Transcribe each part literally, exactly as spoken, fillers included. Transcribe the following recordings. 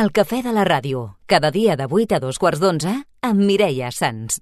El cafè de la ràdio, cada dia de vuit a dos quarts d'onze, amb Mireia Sans.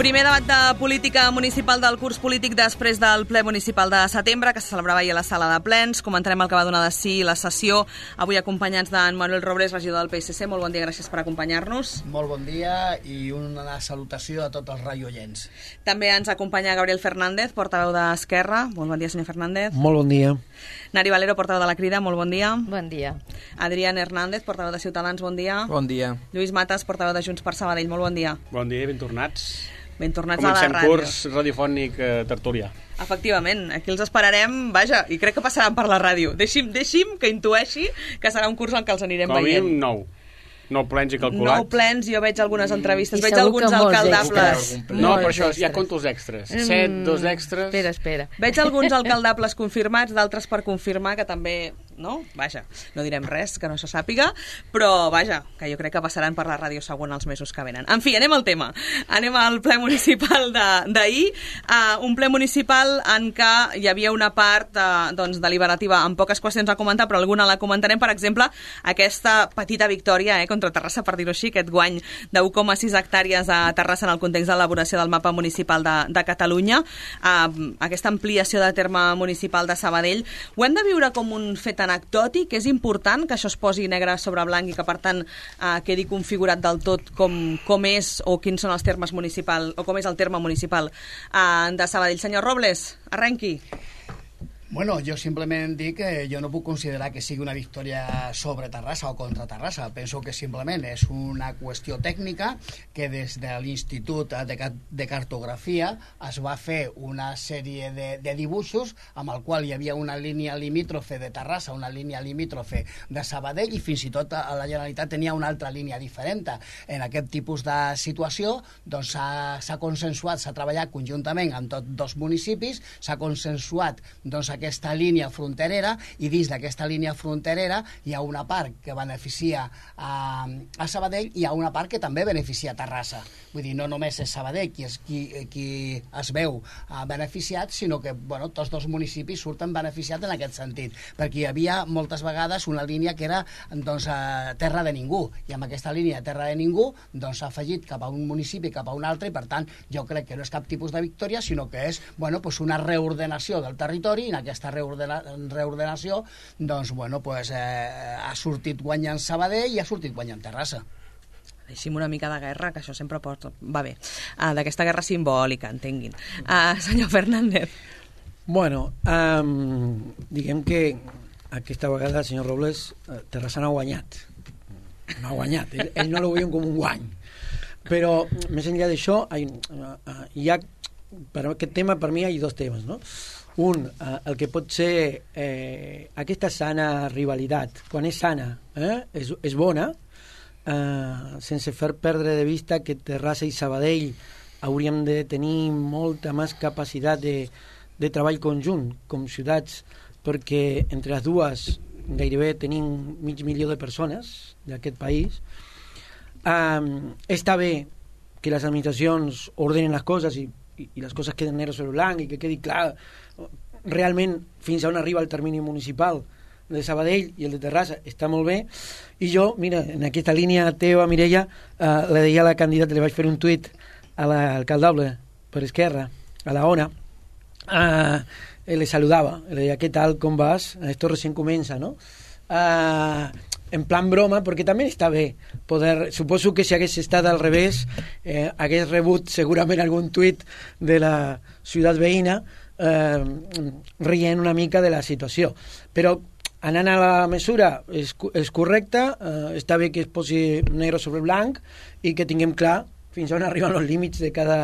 Primer debat de política municipal del curs polític després del ple municipal de setembre, que se celebrava ahir a la sala de plens. Comentarem el que va donar de si la sessió, avui acompanyats d'en Manuel Robles, regidor del P S C. Molt bon dia, gràcies per acompanyar-nos. Molt bon dia i una salutació a tots els radioients. També ens acompanya Gabriel Fernández, portaveu d'Esquerra. Molt bon dia, senyor Fernández. Molt bon dia. Nari Valero, portaveu de la Crida. Molt bon dia. Bon dia. Adrián Hernández, portaveu de Ciutadans. Bon dia. Bon dia. Lluís Matas, portaveu de Junts per Sabadell. Molt bon dia. Bon dia i ben tornats. Ben tornats Comencem a la ràdio. curs radiofònic eh, tertúlia. Efectivament, aquí els esperarem, vaja, i crec que passaran per la ràdio. Deixi'm, deixi'm que intueixi que serà un curs en què els anirem Com a veient. mínim nou. Nou plens i calculat. Nou plens, jo veig algunes entrevistes, I veig segur alguns que molts alcaldables. extras. No, Molts per això, extras. ja conto els extras. Set, dos extras... Espera, espera. Veig alguns alcaldables confirmats, d'altres per confirmar, que també, no? Vaja, no direm res que no se sàpiga, però vaja, que jo crec que passaran per la ràdio següent els mesos que venen. En fi, anem al tema. Anem al ple municipal d'ahir, uh, un ple municipal en què hi havia una part uh, doncs, deliberativa amb poques qüestions a comentar, però alguna la comentarem, per exemple, aquesta petita victòria eh, contra Terrassa, per dir-ho així, aquest guany de u coma sis hectàrees a Terrassa en el context de l'elaboració del mapa municipal de, de Catalunya, uh, aquesta ampliació de terme municipal de Sabadell. Ho hem de viure com un fet anecdòtic? És important que això es posi negre sobre blanc i que, per tant, uh, quedi configurat del tot com, com és o quins són els termes municipals, o com és el terme municipal uh, de Sabadell. Senyor Robles, arrenqui. Bueno, jo simplement dic que jo no puc considerar que sigui una victòria sobre Terrassa o contra Terrassa. Penso que simplement és una qüestió tècnica que des de l'Institut de, de Cartografia es va fer una sèrie de, de dibuixos amb el qual hi havia una línia limítrofe de Terrassa, una línia limítrofe de Sabadell i fins i tot a la Generalitat tenia una altra línia diferent. En aquest tipus de situació doncs s'ha consensuat, s'ha treballat conjuntament amb tots dos municipis, s'ha consensuat doncs aquesta línia fronterera i dins d'aquesta línia fronterera hi ha una part que beneficia a, a Sabadell i hi ha una part que també beneficia a Terrassa. Vull dir, no només és Sabadell qui, és, qui, qui es veu uh, beneficiat, sinó que bueno, tots dos municipis surten beneficiats en aquest sentit, perquè hi havia moltes vegades una línia que era doncs, uh, terra de ningú, i amb aquesta línia de terra de ningú doncs, s'ha afegit cap a un municipi, cap a un altre, i per tant jo crec que no és cap tipus de victòria, sinó que és bueno, pues una reordenació del territori. En aquesta reordena, reordenació doncs, bueno, pues, eh, ha sortit guanyant Sabadell i ha sortit guanyant Terrassa. Deixi'm una mica de guerra, que això sempre pot... va bé, uh, d'aquesta guerra simbòlica, entenguin. Uh, senyor Fernández. Bueno, um, diguem que aquesta vegada, senyor Robles, Terrassa no ha guanyat. No ha guanyat. Ell, ell no ho veien com un guany. Però, més enllà d'això, hi ha, per aquest tema, per mi, hi ha dos temes, no? Un, eh, el que pot ser eh, aquesta sana rivalitat, quan és sana, eh, és, és bona, eh, sense fer perdre de vista que Terrassa i Sabadell hauríem de tenir molta més capacitat de, de treball conjunt com ciutats, perquè entre les dues gairebé tenim mig milió de persones d'aquest país. Eh, està bé que les administracions ordenen les coses i i les coses queden negre sobre blanc i que quedi clar realment fins a on arriba el termini municipal de Sabadell i el de Terrassa, està molt bé. I jo, mira, en aquesta línia teva, Mireia, eh, le deia a la candidata, li vaig fer un tuit a l'alcaldable per Esquerra, a la ONA, eh, le saludava, le deia, què tal, com vas? Esto recién comença, no? Eh, en plan broma, perquè també està bé poder, suposo que si hagués estat al revés eh, hagués rebut segurament algun tuit de la ciutat veïna eh, rient una mica de la situació, però anant a la mesura és, és correcta, eh, està bé que es posi negre sobre blanc i que tinguem clar fins on arriben els límits de cada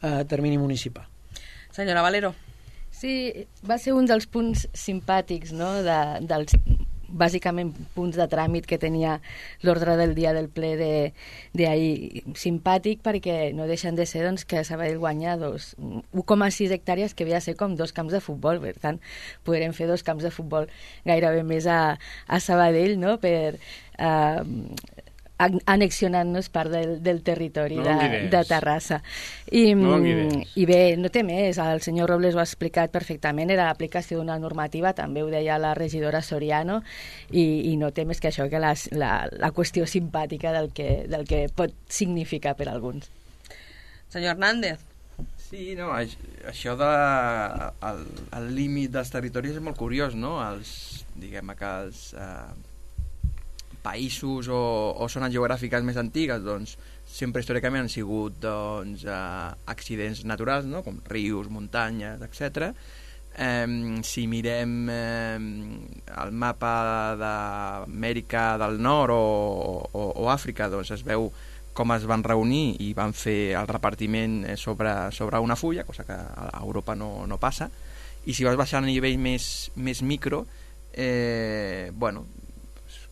eh, termini municipal. Senyora Valero. Sí, va ser un dels punts simpàtics, no?, de, dels bàsicament punts de tràmit que tenia l'ordre del dia del ple d'ahir, simpàtic perquè no deixen de ser doncs, que Sabadell guanya dos, un coma sis hectàrees que havia de ser com dos camps de futbol, per tant podrem fer dos camps de futbol gairebé més a, a Sabadell, no?, per eh, annexionant-nos part del, del territori no de, de Terrassa. I, no I bé, no té més, el senyor Robles ho ha explicat perfectament, era l'aplicació d'una normativa, també ho deia la regidora Soriano, i, i no té més que això, que la, la, la qüestió simpàtica del que, del que pot significar per alguns. Senyor Hernández. Sí, no, això de el, el límit dels territoris és molt curiós, no? Els, diguem que els eh, països o, o zones geogràfiques més antigues, doncs, sempre històricament han sigut doncs, eh, accidents naturals, no?, com rius, muntanyes, etcètera. Eh, si mirem eh, el mapa d'Amèrica del Nord o, o, o Àfrica, doncs es veu com es van reunir i van fer el repartiment sobre, sobre una fulla, cosa que a Europa no, no passa. I si vas baixant a nivell més, més micro, eh, bueno,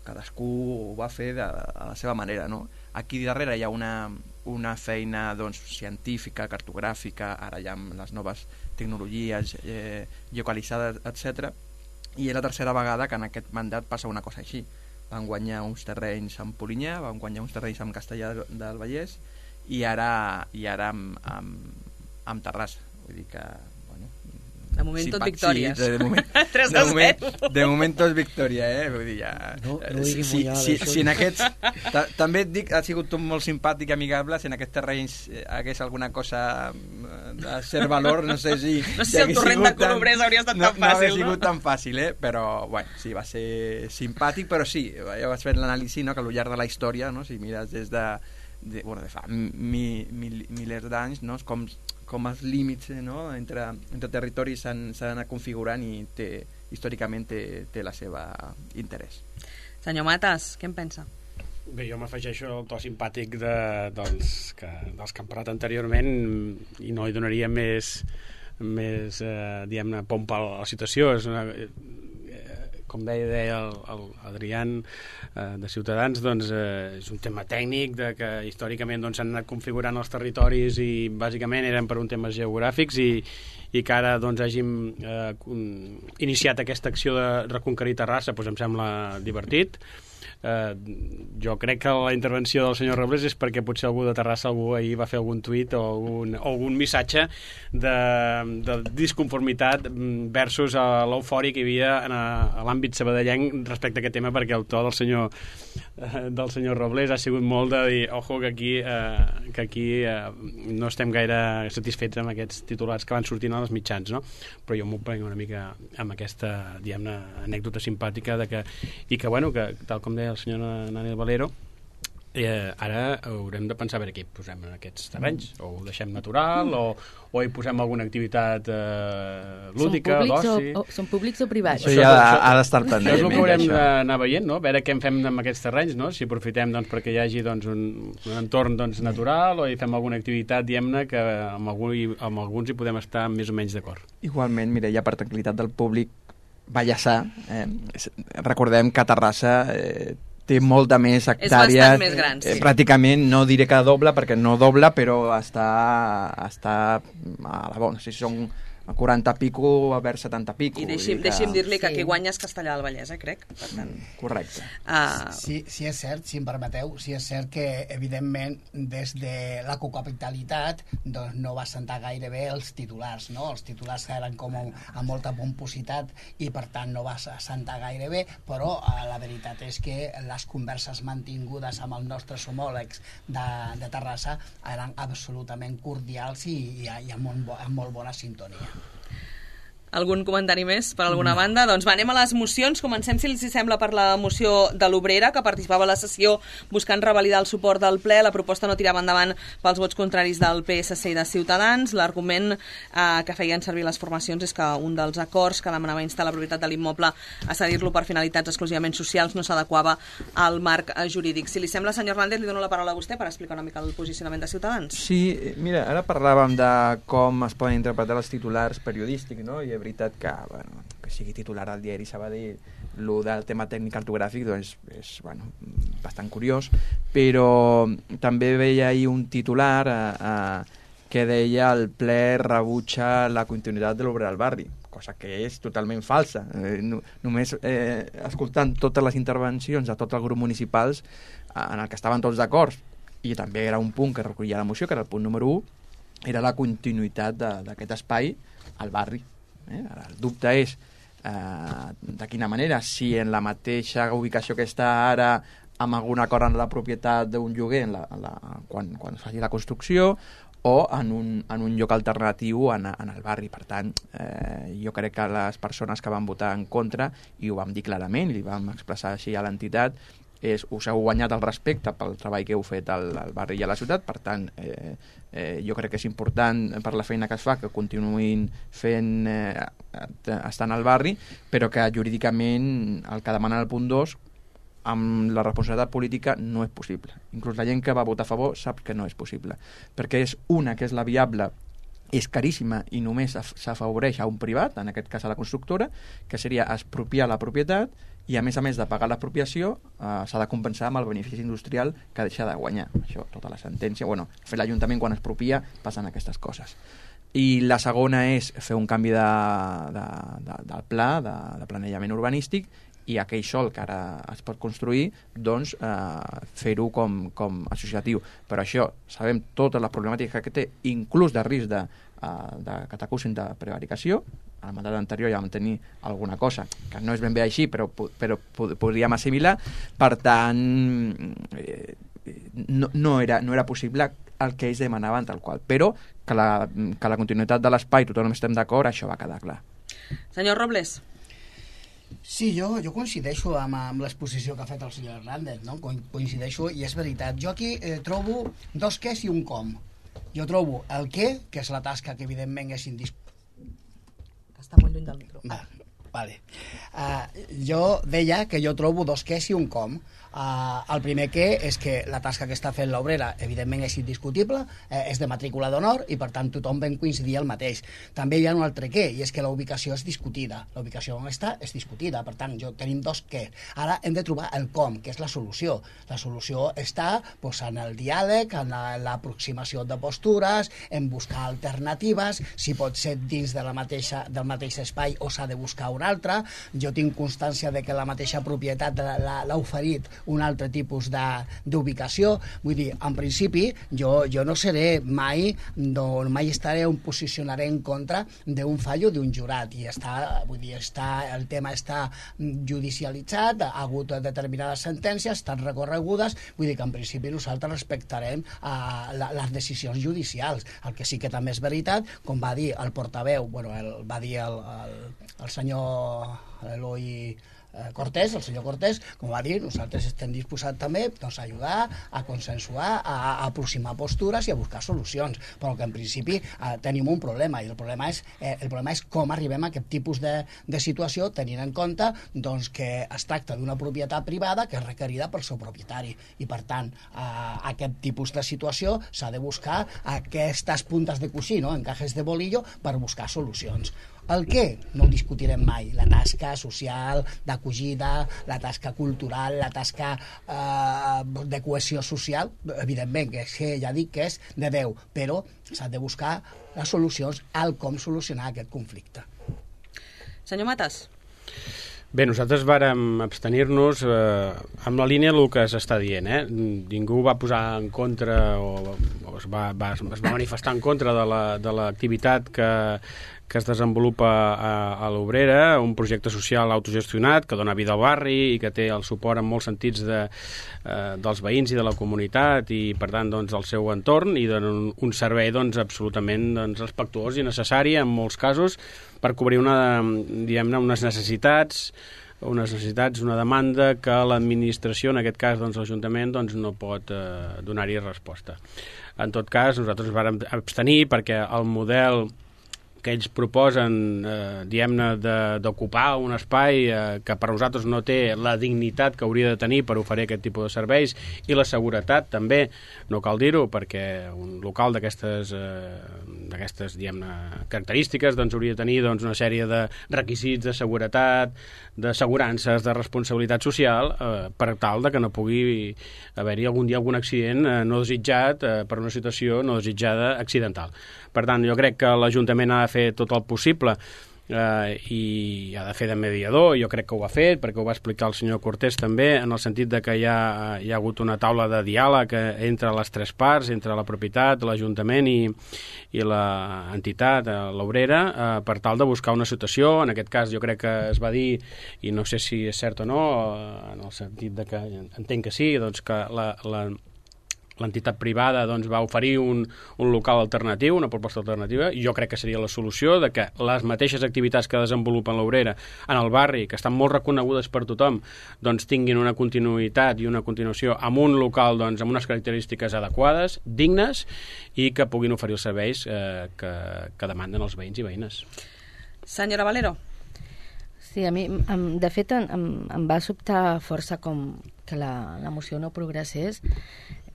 cadascú ho va fer de, de la seva manera, no? Aquí darrere hi ha una, una feina doncs, científica, cartogràfica, ara hi ha les noves tecnologies eh, geocalitzades, etcètera. I és la tercera vegada que en aquest mandat passa una cosa així. Van guanyar uns terrenys amb Polinyà, van guanyar uns terrenys amb Castellà del Vallès i ara, i ara amb, amb, amb Terrassa. Vull dir que... De moment tot victòries. Sí, de moment, tres de a moment, zero. de moment tot victòria, eh? Vull dir, ja... No, no si, si, si, si en aquests... Ta, també et dic, ha sigut tot molt simpàtic i amigable, si en aquests terrenys hagués alguna cosa de ser valor, no sé si... No sé si el torrent de Colobrers hauria estat no, tan fàcil, no? No hauria no? sigut tan fàcil, eh? Però, bueno, sí, va ser simpàtic, però sí, jo vaig fer l'anàlisi, no?, que al llarg de la història, no?, si mires des de... de bueno, de fa mi, mi, milers d'anys, no?, com... com els límits, no?, entre, entre territoris s'han anat configurant i té, històricament té, té la seva interès. Senyor Matas, què en pensa? Bé, jo m'afegeixo al to simpàtic de, dels, que, dels que han parlat anteriorment i no hi donaria més, més eh, diguem-ne, pompa a la situació. És una, com deia, deia el, el Adrián eh, de Ciutadans, doncs eh, és un tema tècnic de que històricament doncs, s'han anat configurant els territoris i bàsicament eren per un temes geogràfics i, i que ara doncs, hàgim eh, iniciat aquesta acció de reconquerir Terrassa, doncs em sembla divertit. Eh, jo crec que la intervenció del senyor Robles és perquè potser algú de Terrassa algú ahir va fer algun tuit o algun, o algun missatge de, de disconformitat versus l'eufòria que hi havia en a, a l'àmbit sabadellenc respecte a aquest tema, perquè el to del senyor eh, del senyor Robles ha sigut molt de dir, ojo, que aquí, eh, que aquí eh, no estem gaire satisfets amb aquests titulars que van sortint als mitjans, no? Però jo m'ho prenc una mica amb aquesta, diguem-ne, anècdota simpàtica de que, i que, bueno, que tal com deia el senyor Nani Valero, eh, ara haurem de pensar a veure què hi posem en aquests terrenys, o ho deixem natural o, o hi posem alguna activitat eh, lúdica, d'oci. O, o, són públics o privats? Això ja ha, ha d'estar pendent. Això és el que haurem d'anar veient, no? A veure què en fem amb aquests terrenys, no? Si aprofitem doncs, perquè hi hagi doncs, un, un entorn doncs, natural o hi fem alguna activitat, diguem-ne, que amb, algú, amb alguns hi podem estar més o menys d'acord. Igualment, mira, ja per tranquil·litat del públic, Vallèsà, eh, recordem que Terrassa eh, té molta més hectàrees. És bastant més gran, sí. Eh, pràcticament, no diré que doble, perquè no doble, però està, està a la bona. Si són a quaranta pico a ver setanta pico. I deixi'm, que... deixi'm dir-li que Sí. qui guanya és Castellà del Vallès, eh, crec. Per tant, Mm, correcte. uh, Sí, sí és cert, si em permeteu, sí és cert que, evidentment, des de la cocapitalitat doncs, no va sentar gaire bé els titulars, no? Els titulars eren com amb, amb molta pompositat i, per tant, no va sentar gaire bé, però eh, la veritat és que les converses mantingudes amb els nostres homòlegs de, de Terrassa eren absolutament cordials i, i, i amb, un, bo- amb molt bona sintonia. algun comentari més per alguna no. banda? Doncs va, anem a les mocions. Comencem, si els sembla, per la moció de l'Obrera, que participava a la sessió buscant revalidar el suport del ple. La proposta no tirava endavant pels vots contraris del P S C i de Ciutadans. L'argument eh, que feien servir les formacions és que un dels acords que demanava instar la propietat de l'immoble a cedir-lo per finalitats exclusivament socials no s'adequava al marc eh, jurídic. Si li sembla, senyor Hernández, li dono la paraula a vostè per explicar una mica el posicionament de Ciutadans. Sí, mira, ara parlàvem de com es poden interpretar els titulars periodístics, no? I és veritat que, bueno, que sigui titular al diari Sabadell lo del tema tècnic cartogràfic doncs, és bueno, bastant curiós, però també veia ahir un titular eh, eh, que deia el ple rebutja la continuïtat de l'Obrera al barri, cosa que és totalment falsa. Eh, no, només eh, escoltant totes les intervencions de tots els grups municipals eh, en el que estaven tots d'acord, i també era un punt que recollia la moció, que era el punt número u, era la continuïtat d'aquest espai al barri. Eh? Ara, el dubte és eh, de quina manera, si en la mateixa ubicació que està ara amb algun acord en la propietat d'un lloguer en la, en la, quan, quan es faci la construcció, o en un, en un lloc alternatiu en, en el barri. Per tant, eh, jo crec que les persones que van votar en contra, i ho vam dir clarament, i li vam expressar així a l'entitat, és, us heu guanyat el respecte pel treball que heu fet al, al barri i a la ciutat. Per tant, eh, eh, jo crec que és important per la feina que es fa que continuïn fent eh, estant al barri, però que jurídicament el que demana el punt dos amb la responsabilitat política no és possible. Inclús la gent que va votar a favor sap que no és possible, perquè és una que és la viable, és caríssima i només s'afavoreix a un privat, en aquest cas a la constructora, que seria expropiar la propietat, i a més a més de pagar l'expropiació eh, s'ha de compensar amb el benefici industrial que deixa de guanyar. Això, tota la sentència, bueno, fer l'Ajuntament quan expropia passen aquestes coses. I la segona és fer un canvi de, de, de, del pla, de, de planejament urbanístic, i aquell sòl que ara es pot construir, doncs eh, fer-ho com, com associatiu. Però això, sabem totes les problemàtiques que té, inclús de risc de, uh, de que t'acusin de prevaricació. Al mandat anterior ja vam tenir alguna cosa que no és ben bé així, però, però podríem assimilar. Per tant, eh, no, no, era, no era possible el que ells demanaven tal qual. Però que la, que la continuïtat de l'espai, tothom estem d'acord, això va quedar clar. Senyor Robles. Sí, jo, jo coincideixo amb, amb l'exposició que ha fet el senyor Hernández, no? Coincideixo, i és veritat. Jo aquí eh, trobo dos quès i un com. Jo trobo el què, que és la tasca que evidentment és indispensable. Està molt lluny del micro. Va, vale. Uh, jo deia que jo trobo dos quès i un com. Uh, el primer què és que la tasca que està fent l'obrera evidentment és indiscutible, eh, és de matrícula d'honor i per tant tothom ben coincidir el mateix. També hi ha un altre què, i és que la ubicació és discutida. La ubicació on està és discutida, per tant jo tenim dos què. Ara hem de trobar el com, que és la solució. La solució està pues, en el diàleg, en l'aproximació de postures, en buscar alternatives, si pot ser dins de la mateixa, del mateix espai o s'ha de buscar un altre. Jo tinc constància de que la mateixa propietat l'ha oferit un altre tipus d'ubicació. Vull dir, en principi, jo, jo no seré mai, no, mai estaré on posicionaré en contra d'un fallo d'un jurat. I està, vull dir, està, el tema està judicialitzat, ha hagut determinades sentències, estan recorregudes, vull dir que en principi nosaltres respectarem uh, la, les decisions judicials. El que sí que també és veritat, com va dir el portaveu, bueno, el, va dir el, el, el senyor Eloi Cortés, el senyor Cortés, com va dir, nosaltres estem disposats també doncs, a ajudar, a consensuar, a, a aproximar postures i a buscar solucions, però que en principi eh, tenim un problema, i el problema és, eh, el problema és com arribem a aquest tipus de, de situació, tenint en compte doncs, que es tracta d'una propietat privada que és requerida pel seu propietari, i per tant, eh, aquest tipus de situació s'ha de buscar aquestes puntes de coixí, no? Encajes de bolillo, per buscar solucions. El què? No ho discutirem mai. La tasca social, d'acollida, la tasca cultural, la tasca eh, de cohesió social, evidentment, que, és, que ja dic que és de Déu, però s'ha de buscar les solucions al com solucionar aquest conflicte. Senyor Matas. Bé, nosaltres vàrem abstenir-nos eh, amb la línia del que s'està dient. Eh? Ningú va posar en contra o, o es, va, va, es va manifestar en contra de l'activitat que, que es desenvolupa a, a l'Obrera, un projecte social autogestionat que dona vida al barri i que té el suport en molts sentits de, eh, dels veïns i de la comunitat i, per tant, doncs, del seu entorn, i dona un, un servei doncs, absolutament doncs, respectuós i necessari en molts casos per cobrir una, diguem-ne, unes necessitats unes necessitats, una demanda que l'administració, en aquest cas doncs, l'Ajuntament, doncs, no pot eh, donar-hi resposta. En tot cas, nosaltres vàrem abstenir perquè el model que ells proposen, eh, diguem-ne, d'ocupar un espai eh, que per nosaltres no té la dignitat que hauria de tenir per oferir aquest tipus de serveis, i la seguretat també, no cal dir-ho, perquè un local d'aquestes eh, d'aquestes, diguem-ne, característiques doncs hauria de tenir doncs, una sèrie de requisits de seguretat, d'assegurances, de responsabilitat social, eh, per tal de que no pugui haver-hi algun dia algun accident eh, no desitjat eh, per una situació no desitjada accidental. Per tant, jo crec que l'Ajuntament ha de fer tot el possible eh, i ha de fer de mediador. Jo crec que ho ha fet, perquè ho va explicar el senyor Cortés també, en el sentit de que hi ha, hi ha hagut una taula de diàleg entre les tres parts, entre la propietat, l'Ajuntament i, i l'entitat, l'Obrera, eh, per tal de buscar una situació. En aquest cas jo crec que es va dir, i no sé si és cert o no, en el sentit de que entenc que sí, doncs que la, la l'entitat privada doncs, va oferir un, un local alternatiu, una proposta alternativa, i jo crec que seria la solució de que les mateixes activitats que desenvolupen l'Obrera en el barri, que estan molt reconegudes per tothom, doncs tinguin una continuïtat i una continuació amb un local doncs, amb unes característiques adequades, dignes, i que puguin oferir els serveis eh, que, que demanden els veïns i veïnes. Senyora Valero. Sí, a mi, de fet, em, em va sobtar força com que la, la moció no progressés.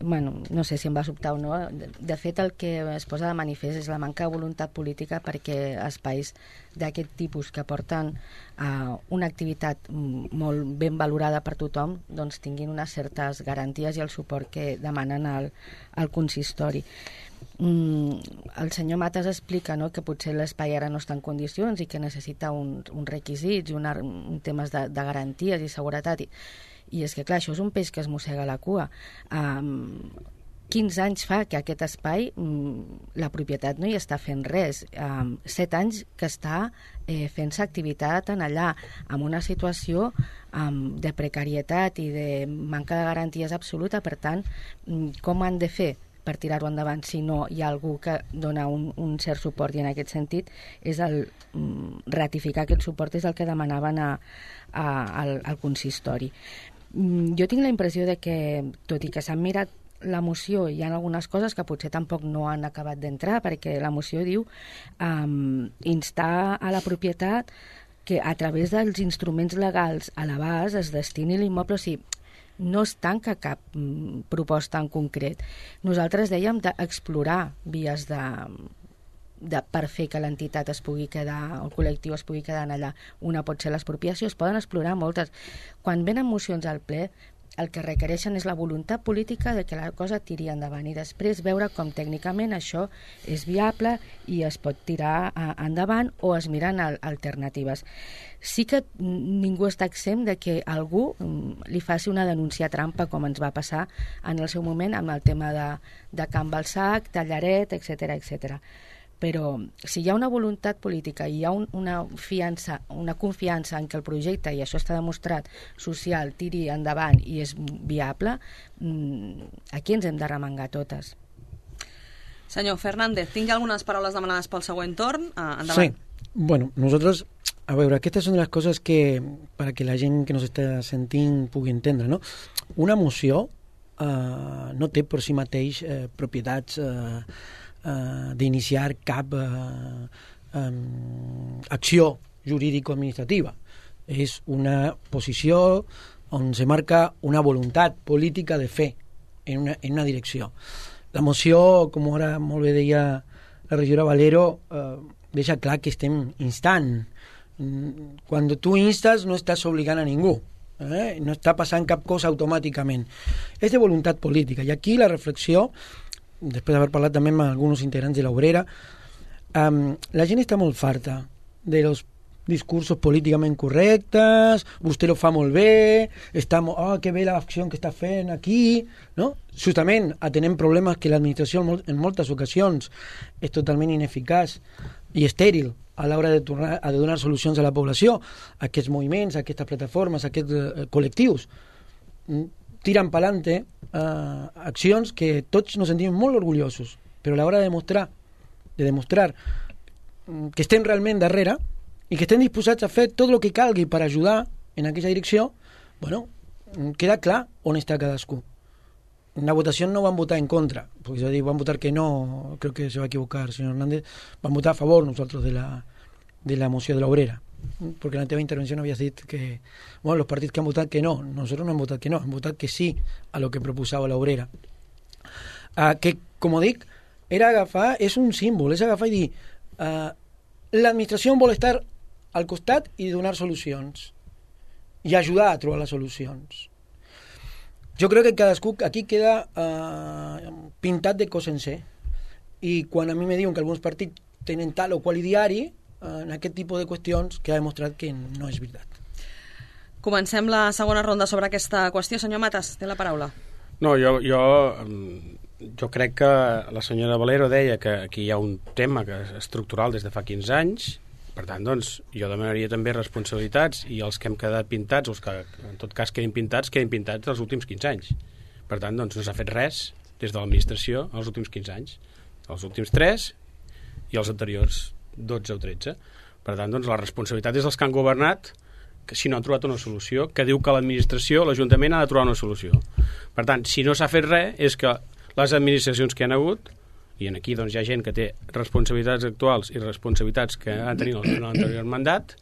Bueno, no sé si em va sobtar o no. De, de fet, el que es posa de manifest és la manca de voluntat política perquè espais d'aquest tipus que porten a una activitat molt ben valorada per tothom doncs tinguin unes certes garanties i el suport que demanen al, al consistori. Mm, el senyor Matas explica, no?, que potser l'espai ara no està en condicions i que necessita un, uns requisits i una, un temes de, de garanties i seguretat, i, i és que clar, això és un peix que es mossega la cua. Um, quinze anys fa que aquest espai um, la propietat no hi està fent res, um, set anys que està eh, fent-se activitat en allà, amb una situació um, de precarietat i de manca de garanties absoluta. Per tant, um, com han de fer per tirar-ho endavant si no hi ha algú que dona un, un cert suport? I en aquest sentit és el um, ratificar aquest suport és el que demanaven a, a, al, al consistori. Um, jo tinc la impressió de que, tot i que s'han mirat la moció, hi ha algunes coses que potser tampoc no han acabat d'entrar, perquè la moció diu um, instar a la propietat que a través dels instruments legals a l'abast es destini l'immoble. O sigui, no es tanca cap mm, proposta en concret. Nosaltres dèiem d'explorar vies de, de, per fer que l'entitat es pugui quedar, el col·lectiu es pugui quedar allà. Una pot ser l'expropiació, es poden explorar moltes. Quan venen mocions al ple, el que requereixen és la voluntat política de que la cosa tiri endavant i després veure com tècnicament això és viable i es pot tirar a, endavant, o es miren al, alternatives. Sí que ningú està exempt de que algú li faci una denúncia trampa, com ens va passar en el seu moment amb el tema de, de Can Balsac, Tallaret, etcètera, etcètera. Però si hi ha una voluntat política i hi ha un, una fiança, una confiança en que el projecte, i això està demostrat, social, tiri endavant i és viable, aquí ens hem de remengar totes. Senyor Fernández, tinc algunes paraules demanades pel següent torn. Uh, endavant. Sí, bueno, nosotros, a veure, aquestes són les coses que, para que la gent que nos està sentint pugui entendre, no? Una moció uh, no té per si mateix uh, propietats uh, Uh, d'iniciar cap uh, um, acció jurídico-administrativa. És una posició on se marca una voluntat política de fer en una, en una direcció. La moció, com ara molt bé deia la regidora Valero, uh, deixa clar que estem instant. Quan tu instes no estàs obligant a ningú. Eh? No està passant cap cosa automàticament. És de voluntat política. I aquí la reflexió, després d'haver parlat també amb alguns integrants de l'Obrera, um, la gent està molt farta de los discursos políticament correctes, vostè lo fa molt bé, està molt, oh, que bé l'acció que està fent aquí, no? Justament atenem problemes que l'administració en moltes ocasions és totalment ineficaç i estèril a l'hora de, tornar, de donar solucions a la població. Aquests moviments, aquestes plataformes, aquests uh, col·lectius tiran pa'lante uh, accions que tots nos sentim molt orgullosos, però a l'hora de demostrar, de demostrar que estem realment darrere i que estem disposats a fer tot el que calgui per ajudar en aquella direcció, bueno, queda clar on està cadascú. en la votación no van a votar en contra, porque yo digo, van a votar que no, creo que se va a equivocar el señor Hernández, van a votar a favor nosotros de la, de la moción de la obrera, porque en la teva intervención habías dicho que, bueno, los partidos que han votado que no, nosotros no hem votat que no, hem votat que sí a lo que proposava la obrera. Uh, que, com dic, era agafar, és un símbol, és agafar i dir, uh, l'administració vol estar al costat i donar solucions, i ajudar a trobar les solucions. Jo crec que cadascú aquí queda uh, pintat de cos sencer, i quan a mi me diuen que alguns partits tenen tal o qual ideari, uh, en aquest tipus de qüestions que ha demostrat que no és veritat. Comencem la segona ronda sobre aquesta qüestió. Senyor Matas, té la paraula. No, jo, jo, jo crec que la senyora Valero deia que aquí hi ha un tema que és estructural des de fa quinze anys. Per tant, doncs, jo demanaria també responsabilitats, i els que hem quedat pintats, els que en tot cas quedin pintats, quedin pintats els últims quinze anys. Per tant, doncs, no s'ha fet res des de l'administració els últims quinze anys. Els últims tres i els anteriors dotze o tretze. Per tant, doncs, la responsabilitat és dels que han governat, que si no han trobat una solució, que diu que l'administració, l'Ajuntament ha de trobar una solució. Per tant, si no s'ha fet res, és que les administracions que han hagut, i aquí doncs, hi ha gent que té responsabilitats actuals i responsabilitats que han tenit en l'anterior mandat,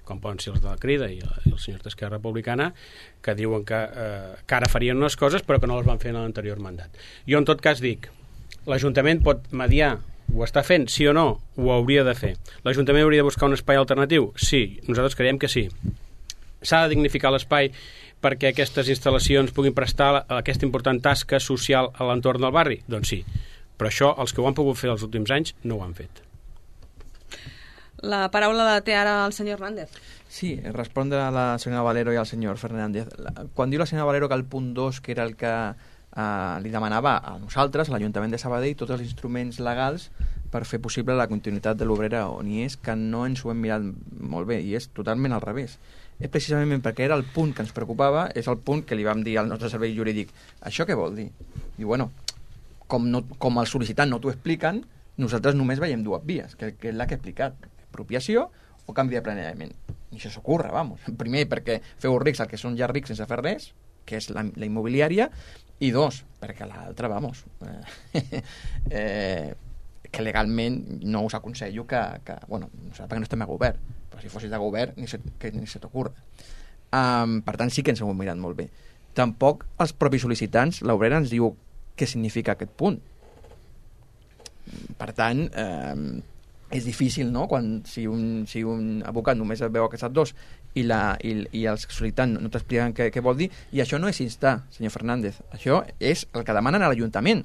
com poden ser els de la Crida i els senyors d'Esquerra Republicana, que diuen que, eh, que ara farien unes coses però que no les van fer en l'anterior mandat. Jo en tot cas dic, l'Ajuntament pot mediar, ho està fent, sí o no? Ho hauria de fer. L'Ajuntament hauria de buscar un espai alternatiu? Sí, nosaltres creiem que sí. S'ha de dignificar l'espai perquè aquestes instal·lacions puguin prestar aquesta important tasca social a l'entorn del barri? Doncs sí. Però això, els que ho han pogut fer els últims anys, no ho han fet. La paraula la té ara el senyor Hernández. Sí, respondre a la senyora Valero i al senyor Fernández. Quan diu la senyora Valero que el punt dos, que era el que eh, li demanava a nosaltres, a l'Ajuntament de Sabadell, tots els instruments legals per fer possible la continuïtat de l'obrera, on hi és que no ens ho hem mirat molt bé, i és totalment al revés. És precisament perquè era el punt que ens preocupava, és el punt que li vam dir al nostre servei jurídic. Això què vol dir? Diu, bueno, com, no, com el sol·licitant no t'ho expliquen, nosaltres només veiem dues vies, que, que és la que he explicat, apropiació o canvi de planejament. I això s'ocorre, vamos. Primer, perquè feu rics el que són ja rics sense fer res, que és la, la immobiliària, i dos, perquè l'altra, vamos, eh, eh, que legalment no us aconsello que, que bueno, no sé, perquè no estem a govern, però si fossis de govern ni se, que ni se t'ocorre. Um, per tant, sí que ens ho hem mirat molt bé. Tampoc els propis sol·licitants, l'obrera ens diu què significa aquest punt. Per tant, eh, és difícil, no?, quan si un, si un abocat només veu aquests dos i, la, i, i els sol·licitants no t'expliquen què, què vol dir, i això no és instar, senyor Fernández, això és el que demanen a l'Ajuntament.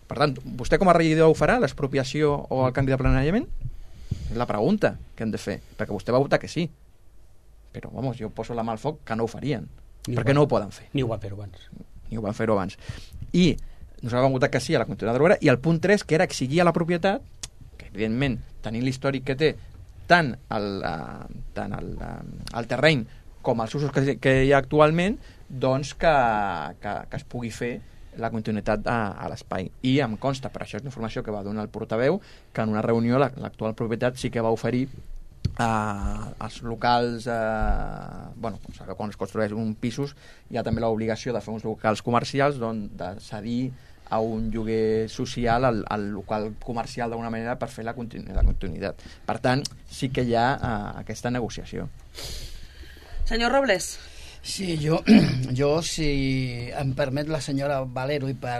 Per tant, vostè com a regidor ho farà, l'expropiació o el canvi de planejament? És la pregunta que hem de fer, perquè vostè va votar que sí. Però, vamos, jo poso la mà al foc que no ho farien, ni perquè ho no ho poden fer. Ni ho van fer-ho abans. Ni ho van fer-ho abans. I nosaltres vam votar que sí a la continuïtat de l'obra, i el punt tres, que era exigir a la propietat, que evidentment, tenint l'històric que té tant el, uh, tant el, uh, el terreny com els usos que, que hi ha actualment, doncs que, que, que es pugui fer la continuïtat a, a l'espai. I em consta, per això és una informació que va donar el portaveu, que en una reunió l'actual propietat sí que va oferir Uh, els locals uh, bueno, quan es construeix un pisos hi ha també l'obligació de fer uns locals comercials, doncs de cedir a un lloguer social al, al local comercial d'alguna manera per fer la, continu la continuïtat. Per tant, sí que hi ha uh, aquesta negociació. Senyor Robles. Sí, jo, jo, si em permet la senyora Valero, i per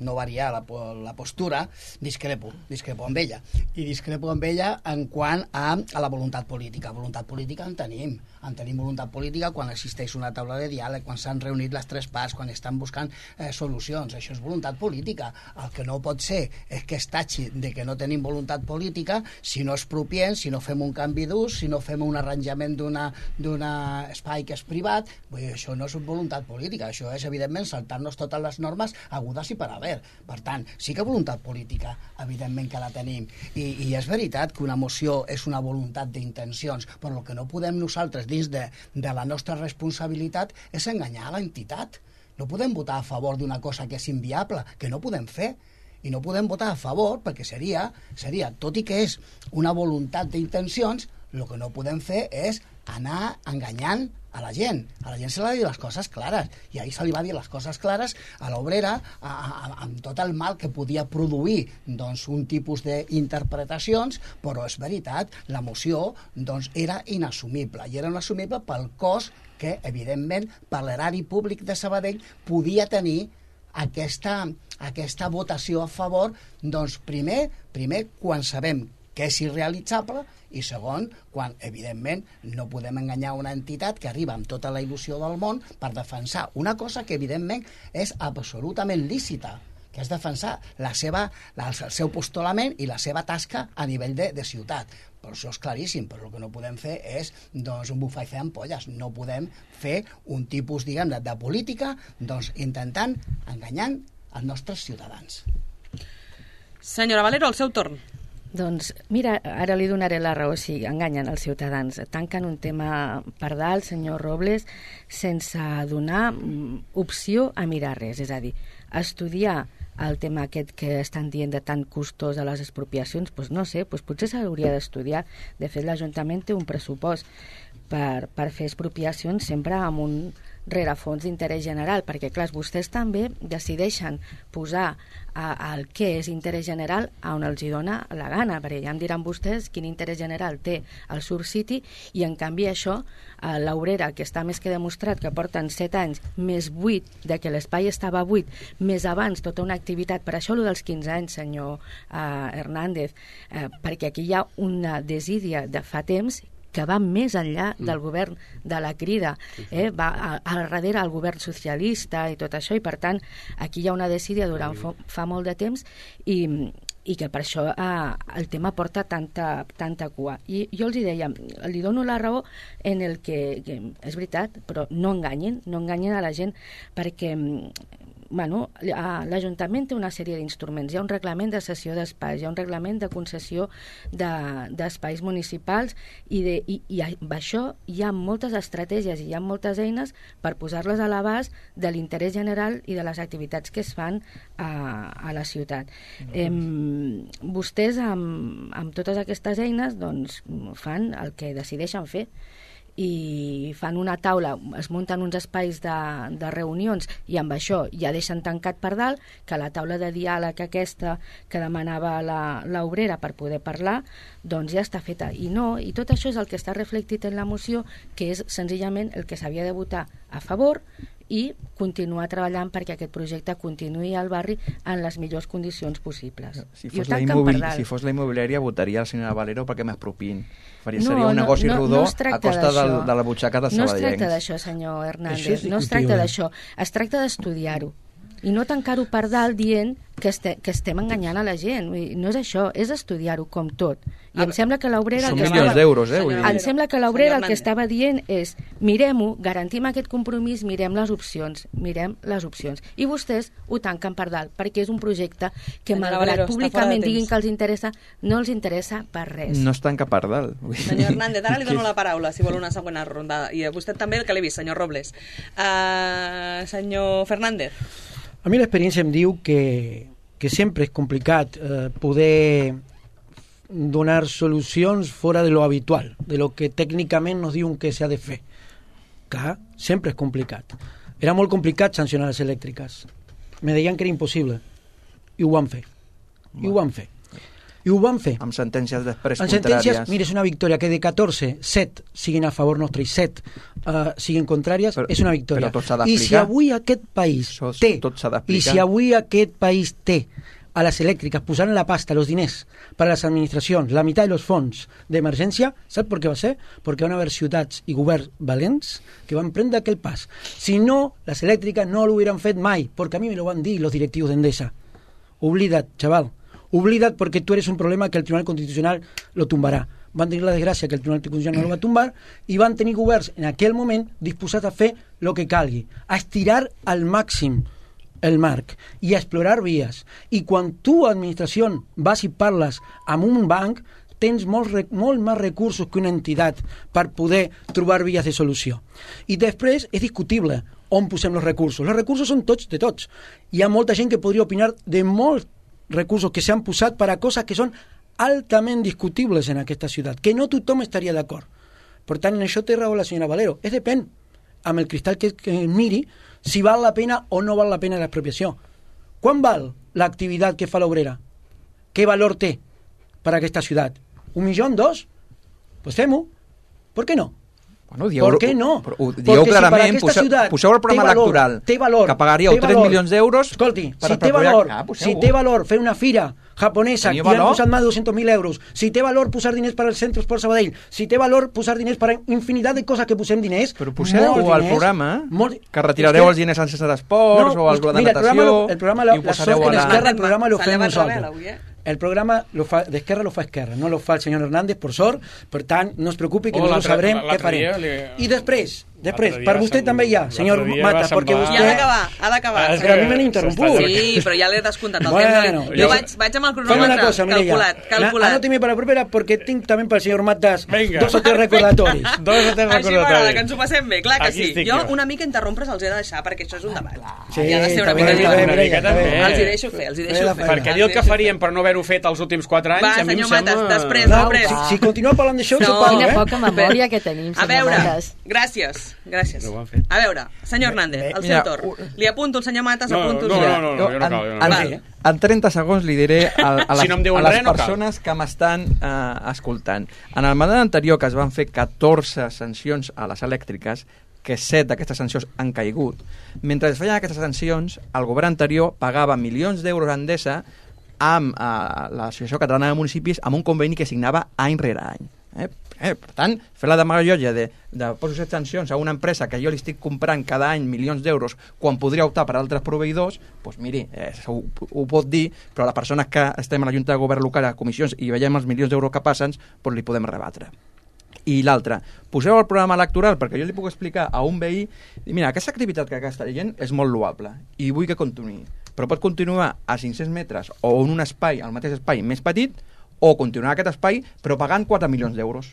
no variar la, la postura, discrepo, discrepo amb ella. I discrepo amb ella en quant a, a la voluntat política. Voluntat política en tenim. En tenim voluntat política quan existeix una taula de diàleg, quan s'han reunit les tres parts, quan estan buscant eh, solucions. Això és voluntat política. El que no pot ser és que es tatxi de que no tenim voluntat política si no expropiem, si no fem un canvi d'ús, si no fem un arranjament d'un espai que és privat. Vull dir, això no és voluntat política, això és, evidentment, saltar-nos totes les normes agudes i per haver. Per tant, sí que voluntat política, evidentment que la tenim. I, i és veritat que una moció és una voluntat d'intencions, però el que no podem nosaltres, dins de, de la nostra responsabilitat, és enganyar a l'entitat. No podem votar a favor d'una cosa que és inviable, que no podem fer. I no podem votar a favor perquè seria, seria tot i que és una voluntat d'intencions, el que no podem fer és anar enganyant a la gent. A la gent se li ha de dir les coses clares. I ahir se li va dir les coses clares a l'obrera amb tot el mal que podia produir doncs, un tipus d'interpretacions, però és veritat, la moció doncs, era inassumible. I era inassumible pel cost que, evidentment, per l'erari públic de Sabadell podia tenir aquesta, aquesta votació a favor, doncs, primer, primer quan sabem que és irrealitzable, i segon, quan, evidentment, no podem enganyar una entitat que arriba amb tota la il·lusió del món per defensar una cosa que, evidentment, és absolutament lícita, que és defensar la seva, la, el seu postulament i la seva tasca a nivell de, de ciutat. Però això és claríssim, però el que no podem fer és doncs, un bufar i fer ampolles. No podem fer un tipus, diguem, de, de política doncs, intentant, enganyant els nostres ciutadans. Senyora Valero, el seu torn. Doncs mira, ara li donaré la raó, si enganyen els ciutadans. Tanquen un tema per dalt, senyor Robles, sense donar opció a mirar res. És a dir, estudiar el tema aquest que estan dient de tan costós de les expropiacions, doncs no sé, doncs potser s'hauria d'estudiar. De fet, l'Ajuntament té un pressupost per, per fer expropiacions sempre amb un rerefons d'interès general, perquè clar, vostès també decideixen posar a, el que és interès general a on els hi dona la gana, perquè ja em diran vostès quin interès general té el Sur City, i en canvi això, a l'Obrera, que està més que demostrat que porten set anys més vuit, de que l'espai estava buit, més abans tota una activitat, per això allò dels quinze anys, senyor eh, Hernández, eh, perquè aquí hi ha una desídia de fa temps que va més enllà del govern de la Crida, eh? va a, a darrere el govern socialista i tot això, i per tant aquí hi ha una desídia durant fa, fa molt de temps, i, i que per això eh, el tema porta tanta, tanta cua. I jo els hi deia, li dono la raó en el que, que és veritat, però no enganyen, no enganyen a la gent, perquè bueno, l'Ajuntament té una sèrie d'instruments. Hi ha un reglament de cessió d'espais, hi ha un reglament de concessió d'espais de, municipals, i, de, i, i amb això hi ha moltes estratègies i hi ha moltes eines per posar-les a l'abast de l'interès general i de les activitats que es fan a, a la ciutat. Eh, vostès amb, amb totes aquestes eines doncs, fan el que decideixen fer, i fan una taula, es munten uns espais de, de reunions, i amb això ja deixen tancat per dalt que la taula de diàleg aquesta que demanava l'obrera per poder parlar, doncs ja està feta. I no, i tot això és el que està reflectit en la moció, que és senzillament el que s'havia de votar a favor i continuar treballant perquè aquest projecte continuï al barri en les millors condicions possibles. Si fos, la, immobil... si fos la immobiliària, votaria la senyora Valero perquè m'expropiïn. Faria, no, seria un negoci no, rodó no, no a costa del, de la butxaca dels sabadellencs. No es tracta d'això, senyor Hernández, no es tracta d'això. Es tracta d'estudiar-ho i no tancar-ho per dalt dient que, este, que estem enganyant a la gent. No és això, és estudiar-ho com tot. I ah, em sembla que l'obrera... Són milions d'euros, eh? Em sembla que l'obrera el que estava dient és mirem-ho, garantim aquest compromís, mirem les opcions, mirem les opcions. I vostès ho tanquen per dalt, perquè és un projecte que, malgrat públicament diguin que els interessa, no els interessa per res. No es tanca per dalt. Senyor Hernández, ara li dono la paraula, si vol una segona ronda. I a vostè també, el que l'he vist, senyor Robles. Uh, senyor Fernández. A mi l'experiència em diu que, que sempre és complicat eh, poder donar solucions fora de lo habitual, de lo que tècnicament nos diuen que s'ha de fer. Clar, sempre és complicat. Era molt complicat sancionar les elèctriques. Me deien que era impossible. I ho van fer. I ho van fer. I ho van fer. Amb sentències després amb contràries. Sentències, mira, és una victòria que de catorze, set siguin a favor nostre i set uh, siguin contràries, però, és una victòria. Però tot s'ha d'explicar. I si avui aquest país Això, té, tot s'ha d'explicar. i si avui aquest país té a les elèctriques posant la pasta, los diners per a les administracions, la meitat dels fons d'emergència, sap per què va ser? Perquè van haver ciutats i governs valents que van prendre aquell pas. Si no, les elèctriques no lo hubieran fet mai, perquè a mi me lo van dir los directivos d'Endesa. Oblida't, chaval. Oblida't porque tú eres un problema que el Tribunal Constitucional lo tumbarà. Van tenir la desgràcia que el Tribunal Constitucional no lo va tombar i van tenir governs en aquell moment disposats a fer el que calgui, a estirar al màxim el marc i a explorar vies. I quan tu, administració, vas i parles amb un banc, tens molt, molt més recursos que una entitat per poder trobar vies de solució. I després és discutible on posem els recursos. Els recursos són tots de tots. Hi ha molta gent que podria opinar de molts recursos que s'han posat per a coses que són altament discutibles en aquesta ciutat, que no tothom estaria d'acord. Per tant, en això té raó la senyora Valero. És depèn, amb el cristall que, que miri, si val la pena o no val la pena l'expropiació. Quan val l'activitat que fa l'obrera? Què valor té per a aquesta ciutat? Un milió? Dos? Pues fem-ho. Per què no? Bueno, dieu, ¿Por qué no? Ho dieu clarament, si poseu, poseu el programa valor, electoral té valor, que pagaríeu tres milions d'euros. Escolti, per si té valor, ah, si té valor fer una fira japonesa que han posat més de dos-cents mil euros, si té valor posar diners per al centre esport Sabadell, si té valor posar diners per a infinitat de coses que posem diners, però poseu al programa molt, que retirareu els diners al centre d'esports no, o al grup de natació, el programa lo, i ho posareu a la... El programa lo fem nosaltres. El programa lo fa, d'Esquerra lo fa Esquerra, no lo fa el senyor Hernández, per sort, per tant, no es preocupi que oh, nosaltres sabrem què farem. Li... I després, després, per vostè també hi ha, senyor Mata, perquè vostè... Ja ha d'acabar, ha d'acabar. Però a mi m'han interromput. Sí, però ja l'he descomptat el bueno, temps. Jo vaig, vaig amb el cronòmetre cosa, calculat, calculat. Anóteme para la propera, porque tinc també pel senyor Matas dos o tres recordatoris. Dos o tres recordatoris. Així m'agrada, que ens ho passem bé, clar que sí. Jo una mica interrompre els he de deixar, perquè això és un debat. Sí, ha de ser una mica diferent. Els hi deixo fer, els hi deixo fer. Perquè dir el que faríem per no haver-ho fet els últims quatre anys, va, a mi em senyor sembla... Matas, després, no, després. Si, si continua parlant d'això, no, s'ho pago, quina eh? poca memòria que tenim, senyor A veure, Matas. gràcies, gràcies. No a veure, senyor Hernández, el seu torn. Li apunto el senyor Matas, no, apunto... No, no, no, no, jo no cal. Jo no cal. En, en trenta segons li diré a, a les, si no a les res, persones no que m'estan uh, escoltant. En el mandat anterior, que es van fer catorze sancions a les elèctriques, que set d'aquestes sancions han caigut. Mentre es feien aquestes sancions, el govern anterior pagava milions d'euros a Endesa amb eh, l'Associació Catalana de Municipis amb un conveni que signava any rere any. Eh? Eh, per tant, fer la demagogia de, de posar set sancions a una empresa que jo li estic comprant cada any milions d'euros quan podria optar per altres proveïdors, doncs miri, eh, ho, ho pot dir, però a les persones que estem a la Junta de Govern local a comissions i veiem els milions d'euros que passen, doncs li podem rebatre. I l'altre, poseu el programa electoral perquè jo li puc explicar a un veí, mira, aquesta activitat que està gent és molt loable i vull que continuï, però pot continuar a cinc-cents metres o en un espai, al mateix espai més petit, o continuar aquest espai però pagant quatre milions d'euros.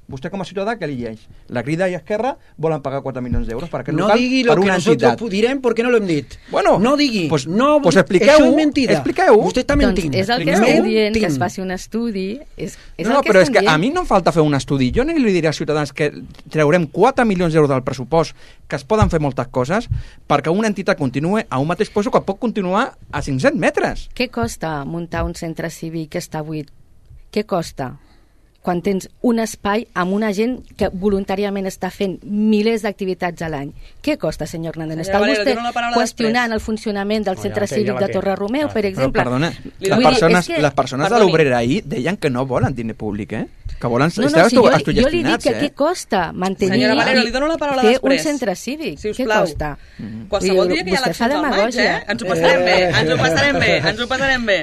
Vostè com a ciutadà què li llegeix? La Crida i Esquerra volen pagar quatre milions d'euros per aquest no local digui per lo una que entitat. Nosotros direm perquè no lo hem dit. Bueno, no digui. Pues, no, pues expliqueu, això és mentida. Expliqueu. Vostè està mentint. Doncs és el que estem dient, que es faci un estudi. És, és no, no, el que però és que dient. a mi no em falta fer un estudi. Jo no li diré als ciutadans que treurem quatre milions d'euros del pressupost, que es poden fer moltes coses, perquè una entitat continuï a un mateix lloc que pot continuar a cinc-cents metres. Què costa muntar un centre cívic que està buit? Què costa? Quan tens un espai amb una gent que voluntàriament està fent milers d'activitats a l'any. Què costa, senyor Hernández? Està vostè qüestionant el funcionament del centre cívic de Torre Romeu, per exemple? Però, perdona, les persones, les persones de l'obrera ahir deien que no volen diner públic, eh? Que volen no, no, si jo, jo li dic que eh? què costa mantenir Senyora Valero, li dono la paraula fer després. Un centre cívic. Si què costa? Mm-hmm. Qualsevol dia que hi ha eleccions al maig, eh? Ens ho passarem bé, ens ho passarem bé, ens ho passarem bé.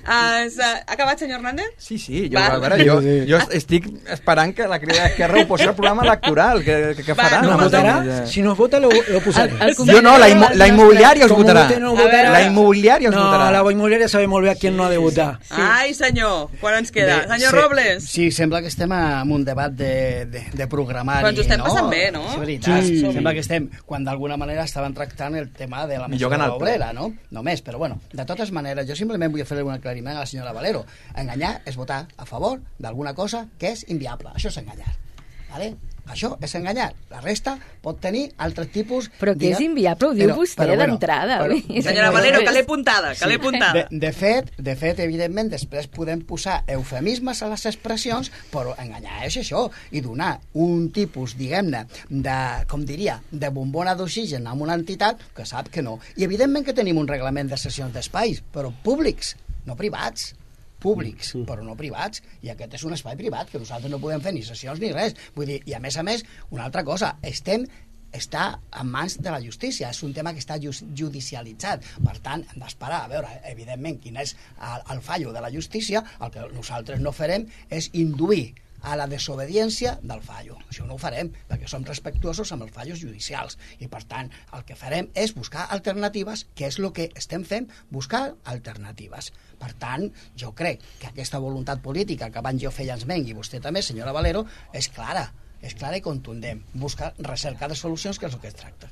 Uh, ha acabat, senyor Hernández? Sí, sí, jo, a veure, jo, jo estic esperant que la Crida d'Esquerra ho posi al programa electoral, que, que, que farà? No, no votarà? Si no es vota, lo, lo posaré. El, el jo no, la, immo, la immobiliària us votarà. No votarà. La immobiliària us no, votarà. No, la immobiliària sabe molt bé a qui no ha de votar. Sí. Ai, senyor, quan ens queda? Bé, senyor se, Robles? Sí, sembla que estem en un debat de, de, de programari. Però ens ho estem no? passant bé, no? És veritat, sí. Sembla que estem, quan d'alguna manera estaven tractant el tema de la mesura obrera, no? Només, però bueno, de totes maneres, jo simplement vull fer un aclariment a la senyora Valero. Enganyar és votar a favor d'alguna cosa que és inviable. Això és enganyar. Vale? Això és enganyar. La resta pot tenir altres tipus... Però que és inviable, ho diu però, vostè bueno, d'entrada. Senyora Valero, que l'he apuntada, que l'he apuntada. De, de, fet, de fet, evidentment, després podem posar eufemismes a les expressions, però enganyar és això, i donar un tipus, diguem-ne, de, com diria, de bombona d'oxigen a una entitat que sap que no. I evidentment que tenim un reglament de sessions d'espais, però públics, no privats. Públics, sí. Però no privats, i aquest és un espai privat que nosaltres no podem fer ni sessions ni res. Vull dir, i a més a més, una altra cosa, estem està en mans de la justícia, és un tema que està judicialitzat, per tant hem d'esperar a veure evidentment quin és el, el fallo de la justícia. El que nosaltres no farem és induir a la desobediència del fallo. Això no ho farem, perquè som respectuosos amb els fallos judicials, i per tant el que farem és buscar alternatives, que és el que estem fent, buscar alternatives. Per tant, jo crec que aquesta voluntat política que abans jo feia esment, i vostè també, senyora Valero, és clara, és clara i contundent. Buscar recerca de solucions, que és el que es tracta.